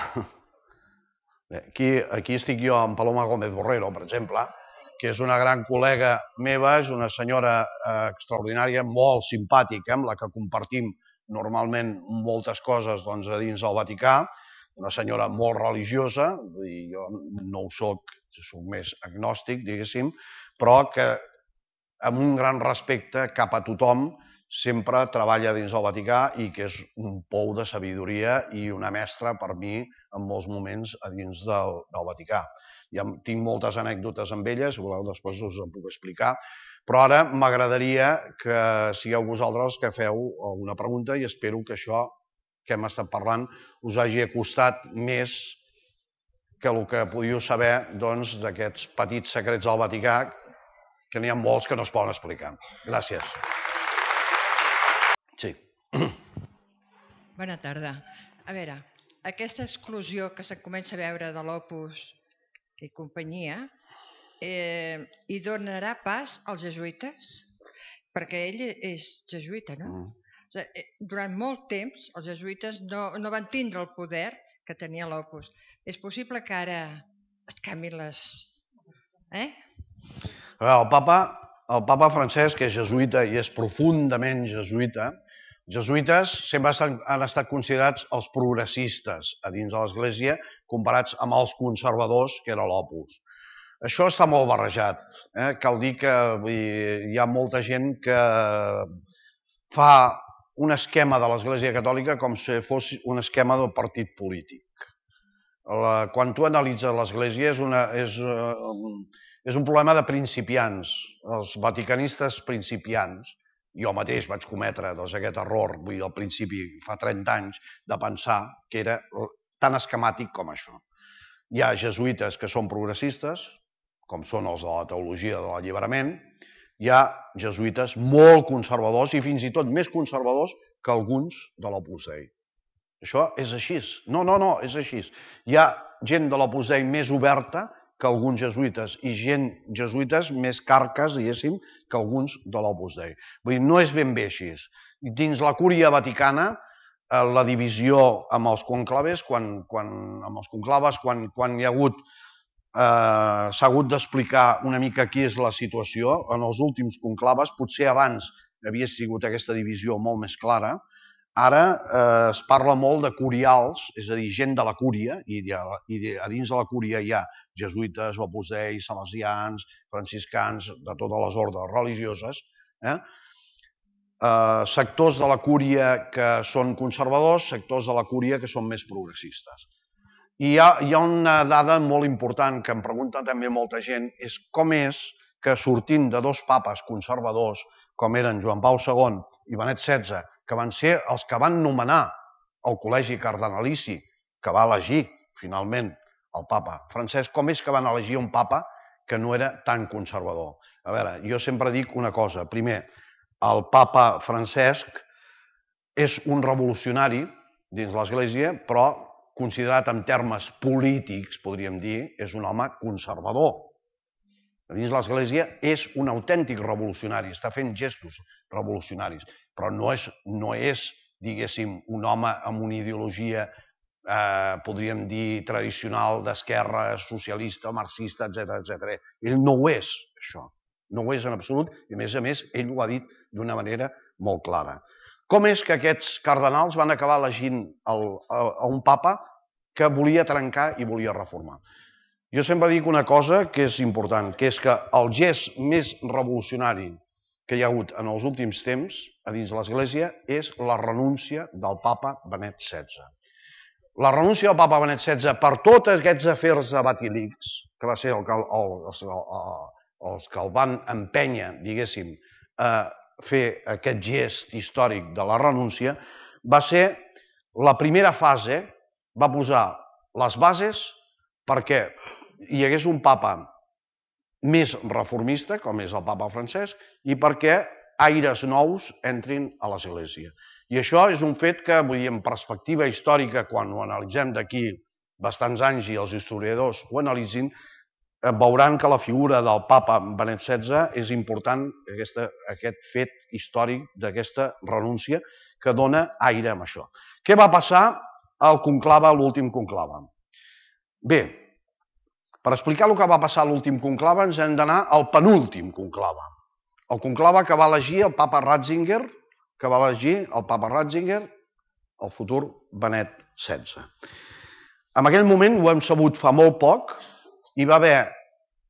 Aquí, aquí estic jo amb Paloma Gómez Borrero, per exemple, que és una gran col·lega meva, és una senyora extraordinària, molt simpàtica, amb la que compartim normalment moltes coses doncs, a dins del Vaticà, una senyora molt religiosa, i jo no ho soc, soc més agnòstic, diguéssim, però que amb un gran respecte cap a tothom sempre treballa dins del Vaticà i que és un pou de sabidoria i una mestra per mi en molts moments a dins del, del Vaticà. Ja tinc moltes anècdotes amb ella, si voleu després us en puc explicar, però ara m'agradaria que sigueu vosaltres que feu alguna pregunta i espero que això que hem estat parlant us hagi acostat més que el que podíeu saber doncs, d'aquests petits secrets del Vaticà, que n'hi ha molts que no es poden explicar. Gràcies. Sí. Bona tarda. A veure, aquesta exclusió que se'n comença a veure de l'Opus i companyia, eh, hi donarà pas als jesuïtes? Perquè ell és jesuïta, no? Mm. O sigui, durant molt temps els jesuïtes no, no van tindre el poder que tenia l'Opus. És possible que ara es canvin les... Eh? El papa, el papa Francesc és jesuïta i és profundament jesuïta. Jesuïtes sempre han estat considerats els progressistes a dins de l'Església comparats amb els conservadors, que era l'Opus. Això està molt barrejat. Eh? Cal dir que vull dir, hi ha molta gent que fa un esquema de l'Església Catòlica com si fos un esquema del partit polític. La, quan tu analitzes l'Església és, una, és, és un problema de principiants, els vaticanistes principiants. Jo mateix vaig cometre doncs, aquest error, vull dir, al principi, fa trenta anys, de pensar que era tan esquemàtic com això. Hi ha jesuïtes que són progressistes, com són els de la teologia de l'alliberament, hi ha jesuïtes molt conservadors i fins i tot més conservadors que alguns de l'Opus Dei. Això és així. No, no, no, és així. Hi ha gent de l'Opus Dei més oberta que alguns jesuïtes i gent jesuïtes més carques, diguéssim, que alguns de l'Opus Dei. Vull dir, no és ben bé així. Dins la cúria vaticana, la divisió amb els conclaves, quan, quan, amb els conclaves, quan, quan hi ha hagut, eh, s'ha hagut d'explicar una mica qui és la situació, en els últims conclaves, potser abans havia sigut aquesta divisió molt més clara, ara eh, es parla molt de curials, és a dir, gent de la cúria, i, de, i de, a dins de la cúria hi ha jesuïtes, opus dei, salesians, franciscans, de totes les ordes religioses, eh? Eh, sectors de la cúria que són conservadors, sectors de la cúria que són més progressistes. I hi ha, hi ha una dada molt important que em pregunta també molta gent, és com és que sortint de dos papes conservadors, com eren Joan Pau segon i Benet setze, que van ser els que van nomenar el col·legi cardenalici, que va elegir finalment el papa Francesc, com és que van elegir un papa que no era tan conservador? A veure, jo sempre dic una cosa. Primer, el papa Francesc és un revolucionari dins l'Església, però considerat en termes polítics, podríem dir, és un home conservador. Dins l'Església és un autèntic revolucionari, està fent gestos revolucionaris, però no és, no és diguéssim, un home amb una ideologia, eh, podríem dir, tradicional, d'esquerra, socialista, marxista, etcètera, etcètera. Ell no ho és, això. No ho és en absolut, i a més a més, ell ho ha dit d'una manera molt clara. Com és que aquests cardenals van acabar elegint el, a, a un papa que volia trencar i volia reformar? Jo sempre dic una cosa que és important, que és que el gest més revolucionari que hi ha hagut en els últims temps a dins l'Església és la renúncia del papa Benet setze. La renúncia del papa Benet setze per tots aquests afers de Batilix, que va ser el que el, el, el, els que el van empènyer, diguéssim, a fer aquest gest històric de la renúncia, va ser la primera fase, va posar les bases perquè hi hagués un papa més reformista, com és el papa Francesc, i perquè aires nous entrin a l'Església. I això és un fet que, vull dir, en perspectiva històrica, quan ho analitzem d'aquí bastants anys i els historiadors ho analitzin, veuran que la figura del papa Benet setze és important, aquesta, aquest fet històric d'aquesta renúncia que dona aire amb això. Què va passar al conclave, a l'últim conclave? Bé, per explicar el que va passar a l'últim conclave ens hem d'anar al penúltim conclave. El conclave que va elegir el papa Ratzinger, que va elegir el papa Ratzinger, el futur Benet setze. En aquell moment, ho hem sabut fa molt poc, hi va haver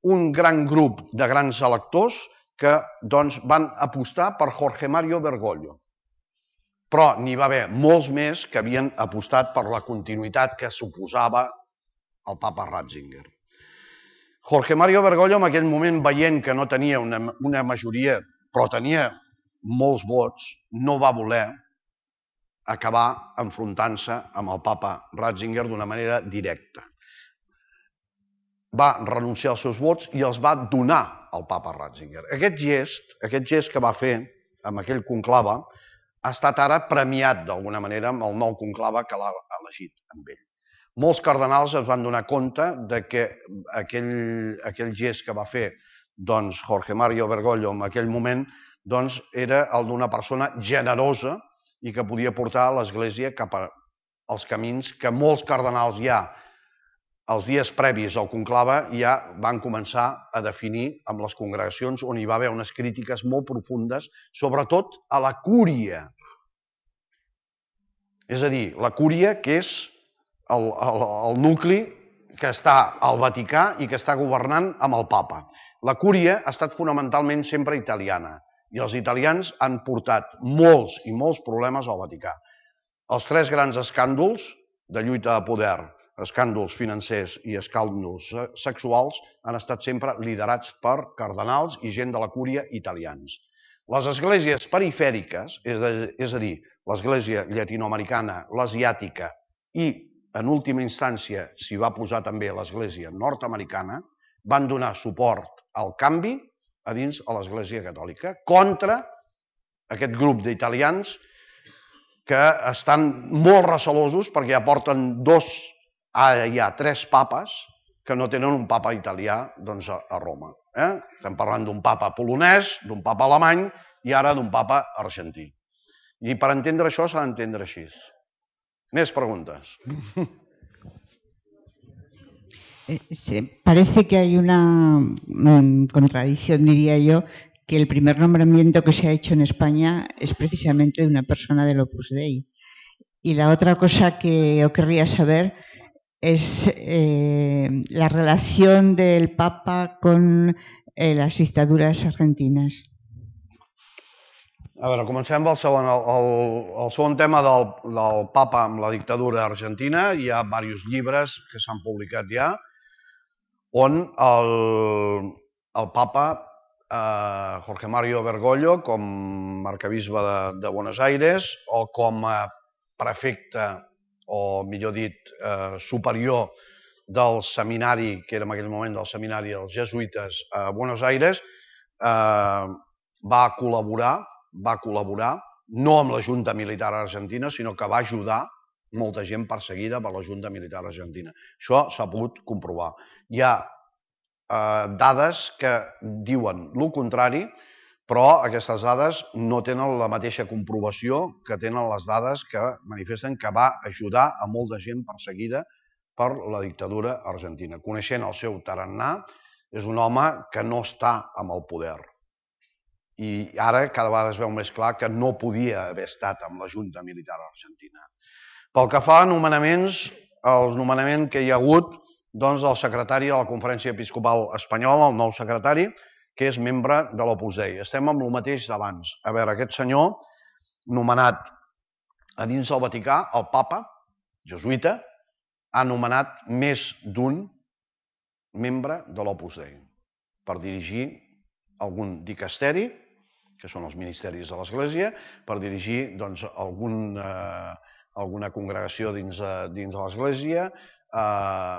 un gran grup de grans electors que doncs, van apostar per Jorge Mario Bergoglio. Però n'hi va haver molts més que havien apostat per la continuïtat que suposava el papa Ratzinger. Jorge Mario Bergoglio, en aquell moment, veient que no tenia una, una majoria, però tenia molts vots, no va voler acabar enfrontant-se amb el papa Ratzinger d'una manera directa. Va renunciar als seus vots i els va donar al papa Ratzinger. Aquest gest, aquest gest que va fer amb aquell conclave ha estat ara premiat d'alguna manera amb el nou conclave que l'ha elegit amb ell. Molts cardenals es van donar compte de que aquell, aquell gest que va fer doncs, Jorge Mario Bergoglio en aquell moment doncs, era el d'una persona generosa i que podia portar l'Església cap als camins que molts cardenals ja, els dies previs al conclave, ja van començar a definir amb les congregacions on hi va haver unes crítiques molt profundes, sobretot a la cúria. És a dir, la cúria que és El, el, el nucli que està al Vaticà i que està governant amb el papa. La cúria ha estat fonamentalment sempre italiana i els italians han portat molts i molts problemes al Vaticà. Els tres grans escàndols de lluita de poder, escàndols financers i escàndols sexuals, han estat sempre liderats per cardenals i gent de la cúria italians. Les esglésies perifèriques, és a dir, l'església llatinoamericana, l'asiàtica i en última instància s'hi va posar també l'Església nord-americana, van donar suport al canvi a dins a l'Església catòlica contra aquest grup d'italians que estan molt recelosos perquè ja porten dos, ara hi ha tres papes que no tenen un papa italià doncs, a Roma. Eh? Estem parlant d'un papa polonès, d'un papa alemany i ara d'un papa argentí. I per entendre això s'ha d'entendre així. Més preguntas. Sí, parece que hay una um, contradicción, diría yo, que el primer nombramiento que se ha hecho en España es precisamente de una persona del Opus Dei. Y la otra cosa que yo querría saber es eh, la relación del Papa con eh, las dictaduras argentinas. A veure, comencem pel segon. El, el, el segon tema del, del papa amb la dictadura argentina. Hi ha diversos llibres que s'han publicat ja on el, el papa eh, Jorge Mario Bergoglio, com arcabisbe de, de Buenos Aires, o com a prefecte, o millor dit, eh, superior del seminari, que era en aquell moment del seminari dels jesuïtes a Buenos Aires, eh, va col·laborar va col·laborar, no amb la Junta Militar Argentina, sinó que va ajudar molta gent perseguida per la Junta Militar Argentina. Això s'ha pogut comprovar. Hi ha eh, dades que diuen el contrari, però aquestes dades no tenen la mateixa comprovació que tenen les dades que manifesten que va ajudar a molta gent perseguida per la dictadura argentina. Coneixent el seu tarannà, és un home que no està amb el poder. I ara cada vegada es veu més clar que no podia haver estat amb la Junta Militar Argentina. Pel que fa a nomenaments, el nomenament que hi ha hagut doncs, del secretari de la Conferència Episcopal Espanyola, el nou secretari, que és membre de l'Opus Dei. Estem amb el mateix d'abans. A veure, aquest senyor, nomenat a dins del Vaticà, el papa, jesuïta, ha nomenat més d'un membre de l'Opus Dei per dirigir algun dicasteri, que són els ministeris de l'Església, per dirigir doncs, algun, eh, alguna congregació dins, eh, dins de l'Església, eh,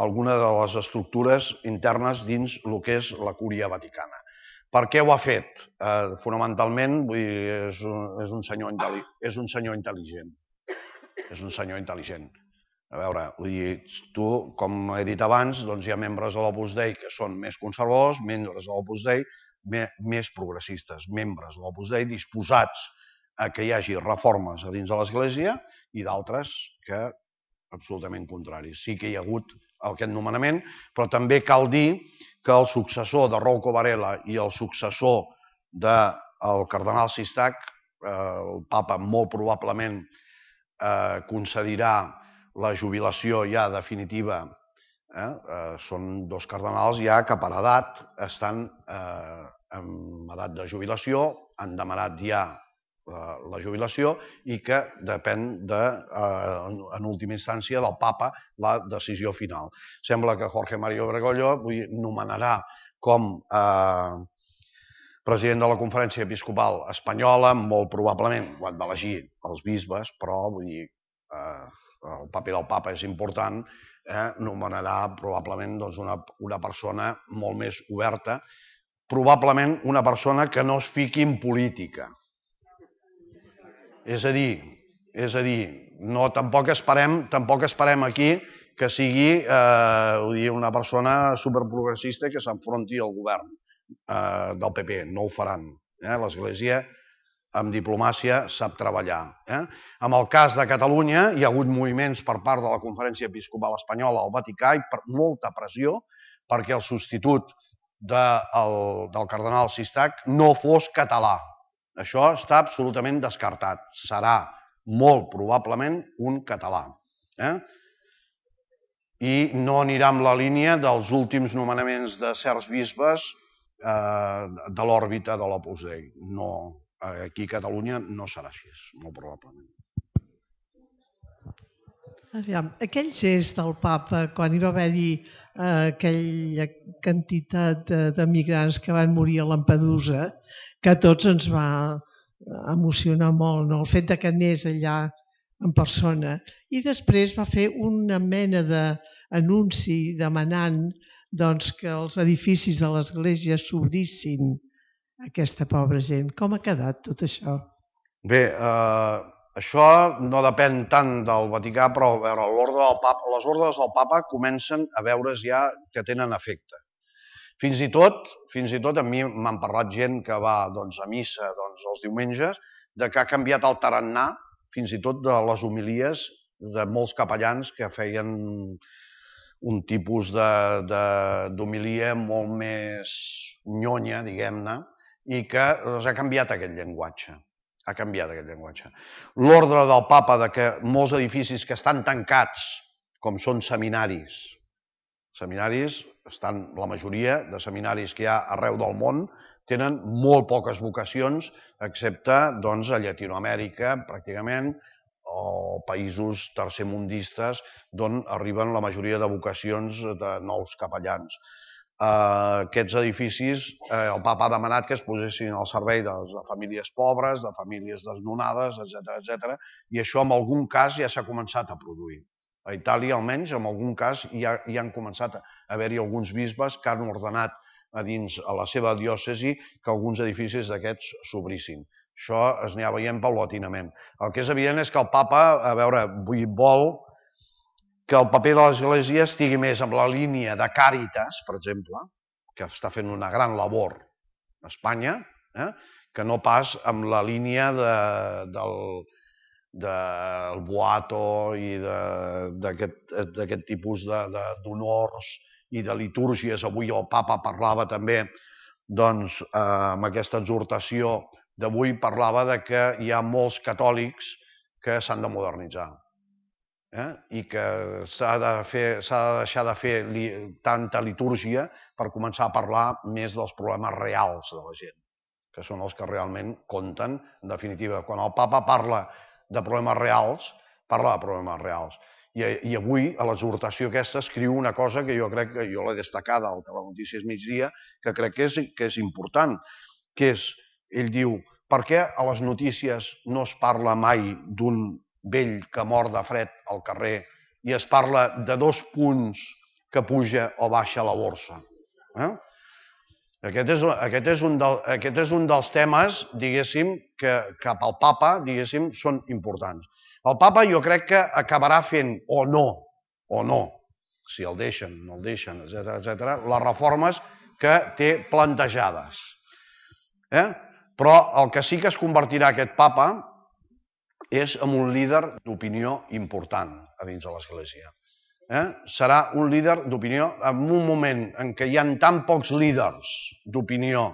alguna de les estructures internes dins el que és la Cúria Vaticana. Per què ho ha fet? Eh, fonamentalment, vull dir, és, un, és, un senyor és un senyor intel·ligent. És un senyor intel·ligent. A veure, vull dir, tu, com he dit abans, doncs hi ha membres de l'Opus Dei que són més conservadors, membres de l'Opus Dei més progressistes, membres de l'Opus Dei disposats a que hi hagi reformes a dins de l'Església i d'altres que absolutament contraris. Sí que hi ha hagut aquest nomenament, però també cal dir que el successor de Rouco Varela i el successor del cardenal Sistac, el papa molt probablement concedirà la jubilació ja definitiva. Eh? Eh, són dos cardenals ja que per edat estan eh, en edat de jubilació, han demanat ja eh, la jubilació i que depèn, de, eh, en última instància, del papa la decisió final. Sembla que Jorge Mario Bergoglio nomenarà com eh, president de la Conferència Episcopal Espanyola, molt probablement, ho han d'elegir els bisbes, però vull dir, eh, el paper del papa és important, Eh, nomenarà probablement doncs, una, una persona molt més oberta, probablement una persona que no es fiqui en política. És a dir, és a dir, no, tampoc esperem, tampoc esperem aquí que sigui eh, una persona superprogressista que s'enfronti al govern eh, del P P. No ho faran. Eh? L'Església amb diplomàcia sap treballar. Eh? En el cas de Catalunya hi ha hagut moviments per part de la Conferència Episcopal Espanyola al Vaticà i per molta pressió perquè el substitut de, el, del cardenal Sistac no fos català. Això està absolutament descartat. Serà molt probablement un català. Eh? I no anirà amb la línia dels últims nomenaments de certs bisbes eh, de l'òrbita de l'Opus Dei. No. Aquí a Catalunya no serà així, molt probablement. Aviam, aquell gest del papa, quan hi va haver-hi eh, aquella quantitat de, de migrants que van morir a Lampedusa, que a tots ens va emocionar molt, no? El fet de que anés allà en persona. I després va fer una mena d'anunci demanant doncs, que els edificis de l'església s'obrissin aquesta pobra gent. Com ha quedat tot això? Bé, eh, això no depèn tant del Vaticà, però a veure, l'ordre del Papa, les ordres del Papa comencen a veure's ja que tenen efecte. Fins i tot, fins i tot a mi m'han parlat gent que va doncs, a missa doncs, els diumenges, de que ha canviat el tarannà, fins i tot de les homilies de molts capellans que feien un tipus d'homilia molt més nyonya, diguem-ne, i que s'ha canviat aquest llenguatge. Ha canviat aquest llenguatge. L'ordre del papa de que molts edificis que estan tancats, com són seminaris, seminaris, estan, la majoria de seminaris que hi ha arreu del món tenen molt poques vocacions, excepte doncs, a Llatinoamèrica, pràcticament, o països tercermundistes, d'on arriben la majoria de vocacions de nous capellans. Uh, aquests edificis, eh, el papa ha demanat que es posessin al servei de, de famílies pobres, de famílies desnonades, etcètera, etcètera, i això en algun cas ja s'ha començat a produir. A Itàlia, almenys, en algun cas, ja, ja han començat a haver-hi alguns bisbes que han ordenat a dins a la seva diòcesi que alguns edificis d'aquests s'obrissin. Això es n'hi ha veient paulatinament. El que és evident és que el papa, a veure, vol que el paper de l'Església estigui més amb la línia de Càritas, per exemple, que està fent una gran labor a Espanya, eh? que no pas amb la línia de, del, del Boato i d'aquest tipus d'honors i de litúrgies. Avui el papa parlava també, doncs, eh, amb aquesta exhortació d'avui, parlava de que hi ha molts catòlics que s'han de modernitzar. Eh? I que s'ha de, de deixar de fer li, tanta litúrgia per començar a parlar més dels problemes reals de la gent, que són els que realment compten, en definitiva. Quan el papa parla de problemes reals, parla de problemes reals. I, i avui, a l'exhortació aquesta, escriu una cosa que jo crec que jo l'he destacada al Telenotícies Migdia, que crec que és, que és important, que és, ell diu, per què a les notícies no es parla mai d'un vell que mor de fred al carrer i es parla de dos punts que puja o baixa la borsa? Eh? Aquest, és, aquest, és un del, aquest és un dels temes, diguéssim, que cap al papa, diguéssim, són importants. El papa jo crec que acabarà fent, o no, o no, si el deixen, no el deixen, etcètera, etcètera, les reformes que té plantejades. Eh? Però el que sí que es convertirà aquest papa és en un líder d'opinió important a dins de l'Església. Eh? Serà un líder d'opinió en un moment en què hi ha tan pocs líders d'opinió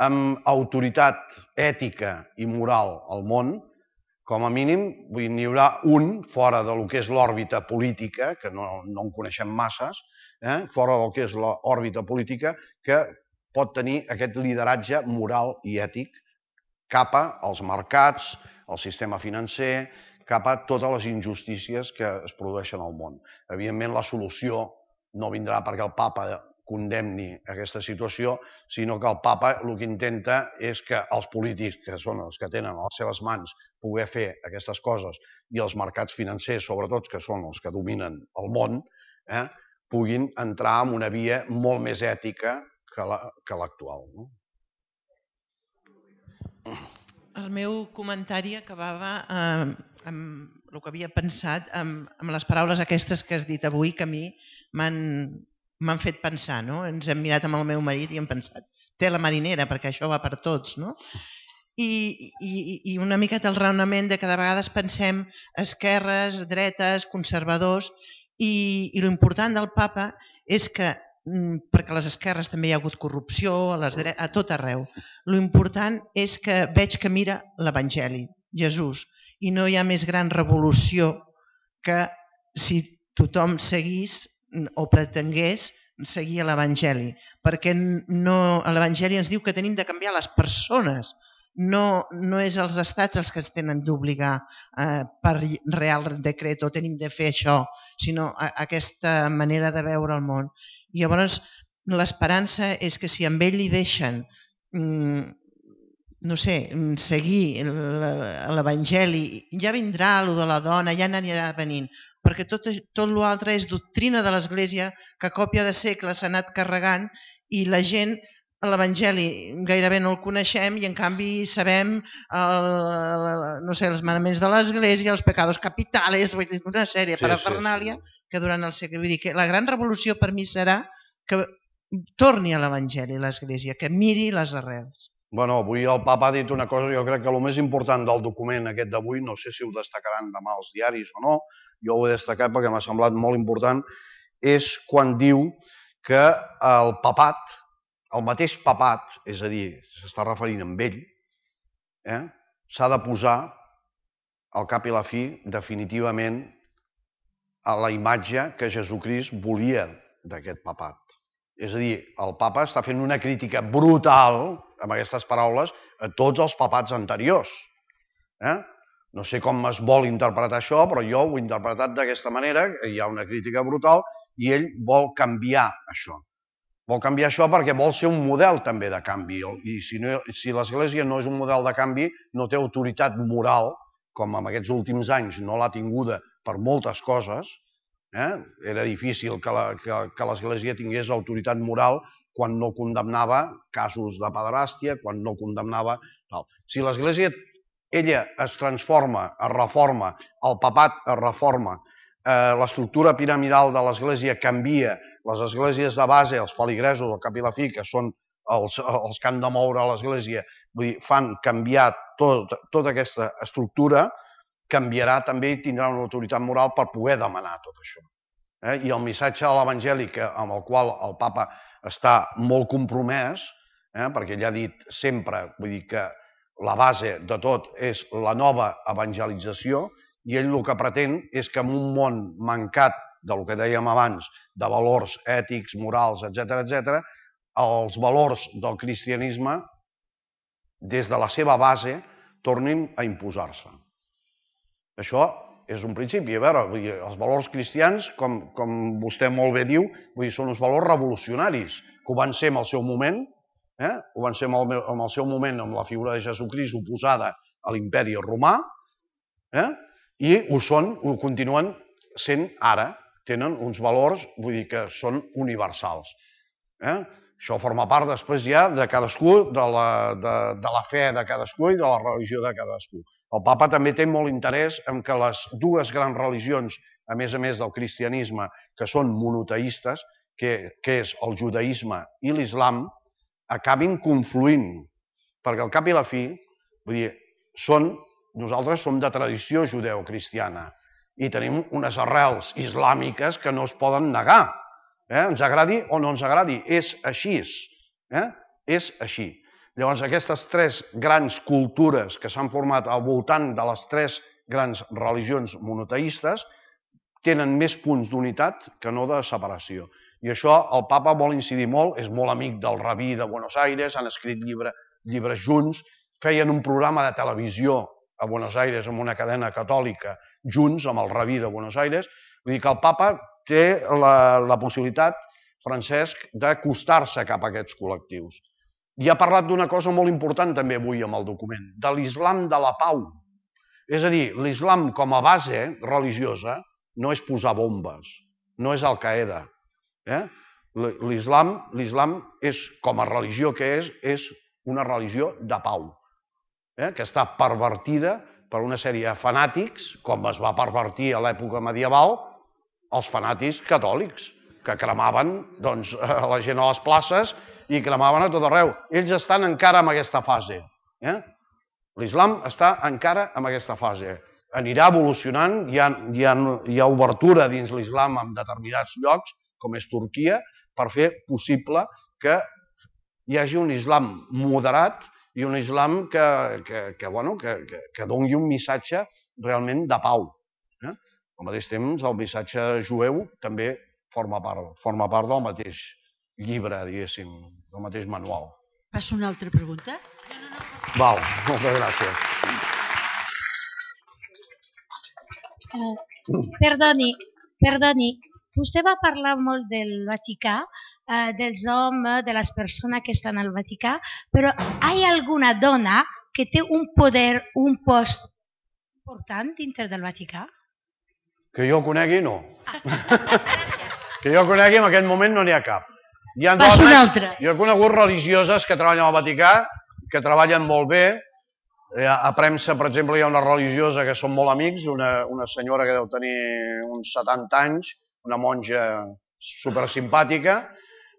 amb autoritat ètica i moral al món, com a mínim n'hi haurà un fora del que és l'òrbita política, que no, no en coneixem masses, eh? fora del que és l'òrbita política, que pot tenir aquest lideratge moral i ètic cap als mercats, al sistema financer, cap a totes les injustícies que es produeixen al món. Evidentment, la solució no vindrà perquè el papa condemni aquesta situació, sinó que el papa el que intenta és que els polítics, que són els que tenen a les seves mans poder fer aquestes coses, i els mercats financers, sobretot, que són els que dominen el món, eh, puguin entrar en una via molt més ètica que l'actual. No? El meu comentari acabava eh, amb el que havia pensat, amb, amb les paraules aquestes que has dit avui, que a mi m'han fet pensar. No? Ens hem mirat amb el meu marit i hem pensat, té la marinera, perquè això va per tots. No? I, i, I una miqueta el raonament de que de vegades pensem esquerres, dretes, conservadors, i, i l'important del papa és que, perquè a les esquerres també hi ha hagut corrupció, a, les dretes, a tot arreu. L'important és que veig que mira l'Evangeli, Jesús, i no hi ha més gran revolució que si tothom seguís o pretengués seguir l'Evangeli, perquè no, l'Evangeli ens diu que tenim de canviar les persones, no, no és els estats els que ens tenen d'obligar eh, per real decret o tenim de fer això, sinó a, aquesta manera de veure el món. I llavors l'esperança és que si amb ell li deixen no sé, seguir l'Evangeli, ja vindrà allò de la dona, ja n'anirà venint, perquè tot, tot l'altre és doctrina de l'Església que a còpia de segles s'ha anat carregant i la gent l'Evangeli gairebé no el coneixem i en canvi sabem el, no sé, els manaments de l'Església, els pecados capitales, una sèrie sí, parafernàlia sí, sí. que durant el segle... Vull dir que la gran revolució per mi serà que torni a l'Evangeli l'Església, que miri les arrels. Bueno, avui el papa ha dit una cosa, jo crec que el més important del document aquest d'avui, no sé si ho destacaran demà els diaris o no, jo ho he destacat perquè m'ha semblat molt important, és quan diu que el papat, el mateix papat, és a dir, s'està referint amb ell, eh? s'ha de posar al cap i la fi definitivament a la imatge que Jesucrist volia d'aquest papat. És a dir, el papa està fent una crítica brutal, amb aquestes paraules, a tots els papats anteriors. Eh? No sé com es vol interpretar això, però jo ho he interpretat d'aquesta manera, hi ha una crítica brutal, i ell vol canviar això. Vol canviar això perquè vol ser un model també de canvi, i si, no, si l'Església no és un model de canvi, no té autoritat moral, com en aquests últims anys no l'ha tinguda per moltes coses. Eh? Era difícil que l'Església tingués autoritat moral quan no condemnava casos de pederàstia, quan no condemnava... Tal. Si l'Església ella es transforma, es reforma, el papat es reforma, eh, l'estructura piramidal de l'Església canvia, les esglésies de base, els feligresos, el cap i la fi, que són els, els que han de moure l'Església, vull dir, fan canviar tot, tota aquesta estructura, canviarà també i tindrà una autoritat moral per poder demanar tot això. Eh? I el missatge de l'Evangeli, amb el qual el papa està molt compromès, eh? perquè ell ha dit sempre, vull dir que la base de tot és la nova evangelització, i ell el que pretén és que en un món mancat del que dèiem abans, de valors ètics, morals, etcètera, etcètera, els valors del cristianisme, des de la seva base, tornin a imposar-se. Això és un principi. A veure, vull dir, els valors cristians, com, com vostè molt bé diu, vull dir, són uns valors revolucionaris, que ho van ser en el seu moment, eh? ho van ser en el, en el seu moment amb la figura de Jesucrist oposada a l'imperi romà, eh? i ho són, ho continuen sent ara. Tenen uns valors, vull dir, que són universals. Eh? Això forma part després ja de cadascú, de la, de, de la fe de cadascú i de la religió de cadascú. El papa també té molt interès en que les dues grans religions, a més a més del cristianisme, que són monoteistes, que, que és el judaïsme i l'islam, acabin confluint. Perquè al cap i la fi, vull dir, són, nosaltres som de tradició judeocristiana i tenim unes arrels islàmiques que no es poden negar. Eh? Ens agradi o no ens agradi, és així. Eh? És així. Llavors, aquestes tres grans cultures que s'han format al voltant de les tres grans religions monoteistes tenen més punts d'unitat que no de separació. I això el papa vol incidir molt, és molt amic del rabí de Buenos Aires, han escrit llibre, llibres junts, feien un programa de televisió a Buenos Aires amb una cadena catòlica junts amb el rabí de Buenos Aires. Vull dir que el papa té la, la possibilitat, Francesc, d'acostar-se cap a aquests col·lectius. I ha parlat d'una cosa molt important també avui amb el document, de l'islam de la pau. És a dir, l'islam com a base religiosa no és posar bombes, no és Al-Qaeda. Eh? L'islam, l'islam és, com a religió que és, és una religió de pau, eh? que està pervertida per una sèrie de fanàtics, com es va pervertir a l'època medieval, els fanàtics catòlics, que cremaven doncs, a la gent a les places i cremaven a tot arreu. Ells estan encara en aquesta fase. Eh? L'islam està encara en aquesta fase. Anirà evolucionant, hi ha, hi ha, hi ha obertura dins l'islam en determinats llocs, com és Turquia, per fer possible que hi hagi un islam moderat i un islam que, que, que, bueno, que, que, que doni un missatge realment de pau. Eh? Al mateix temps, el missatge jueu també forma part, forma part del mateix llibre, diguéssim, del mateix manual. Passo una altra pregunta? Val, moltes gràcies. Uh, perdoni, perdoni. Vostè va parlar molt del Vaticà, eh, dels homes, de les persones que estan al Vaticà, però hi ha alguna dona que té un poder, un post important dintre del Vaticà? Que jo conegui, no. Que jo conegui, en aquest moment no n'hi ha cap. Hi ha Passo una altra. Jo he conegut religioses que treballen al Vaticà, que treballen molt bé. A premsa, per exemple, hi ha una religiosa que són molt amics, una, una senyora que deu tenir uns setanta anys, una monja supersimpàtica,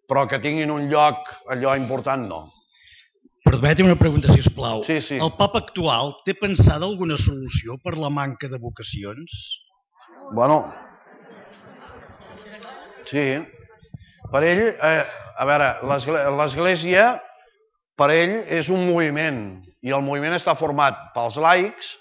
però que tinguin un lloc allò important, no. Permetem una pregunta, sisplau. Sí, sí. El papa actual té pensada alguna solució per la manca de vocacions? Bueno, sí. Per ell, eh, a veure, l'Església per ell és un moviment i el moviment està format pels laics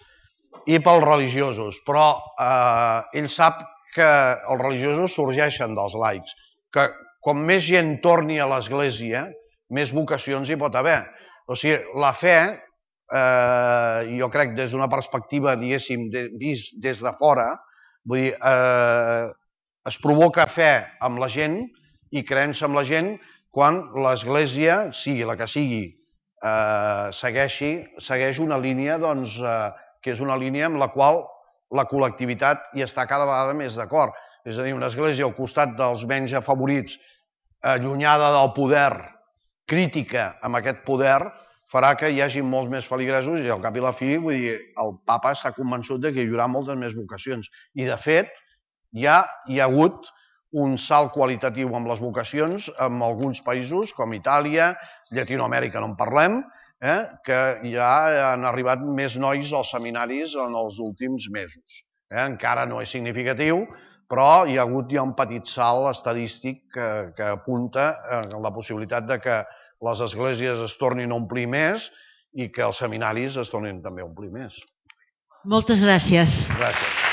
i pels religiosos, però eh, ell sap que els religiosos sorgeixen dels laics, que com més gent torni a l'Església, més vocacions hi pot haver. O sigui, la fe, eh, jo crec des d'una perspectiva, diguéssim, de, vist des de fora, vull dir, eh, es provoca fe amb la gent i creença amb la gent quan l'Església, sigui la que sigui, eh, segueixi, segueix una línia doncs, eh, que és una línia amb la qual la col·lectivitat hi està cada vegada més d'acord. És a dir, una església al costat dels menys afavorits, allunyada del poder, crítica amb aquest poder, farà que hi hagi molts més feligresos i al cap i la fi, vull dir, el papa s'ha convençut que hi haurà moltes més vocacions. I de fet, ja hi ha hagut un salt qualitatiu amb les vocacions en alguns països, com Itàlia, Llatinoamèrica no en parlem, eh, que ja han arribat més nois als seminaris en els últims mesos. Eh, encara no és significatiu, però hi ha hagut ja un petit salt estadístic que, que apunta a la possibilitat de que les esglésies es tornin a omplir més i que els seminaris es tornin també a omplir més. Moltes gràcies. Gràcies.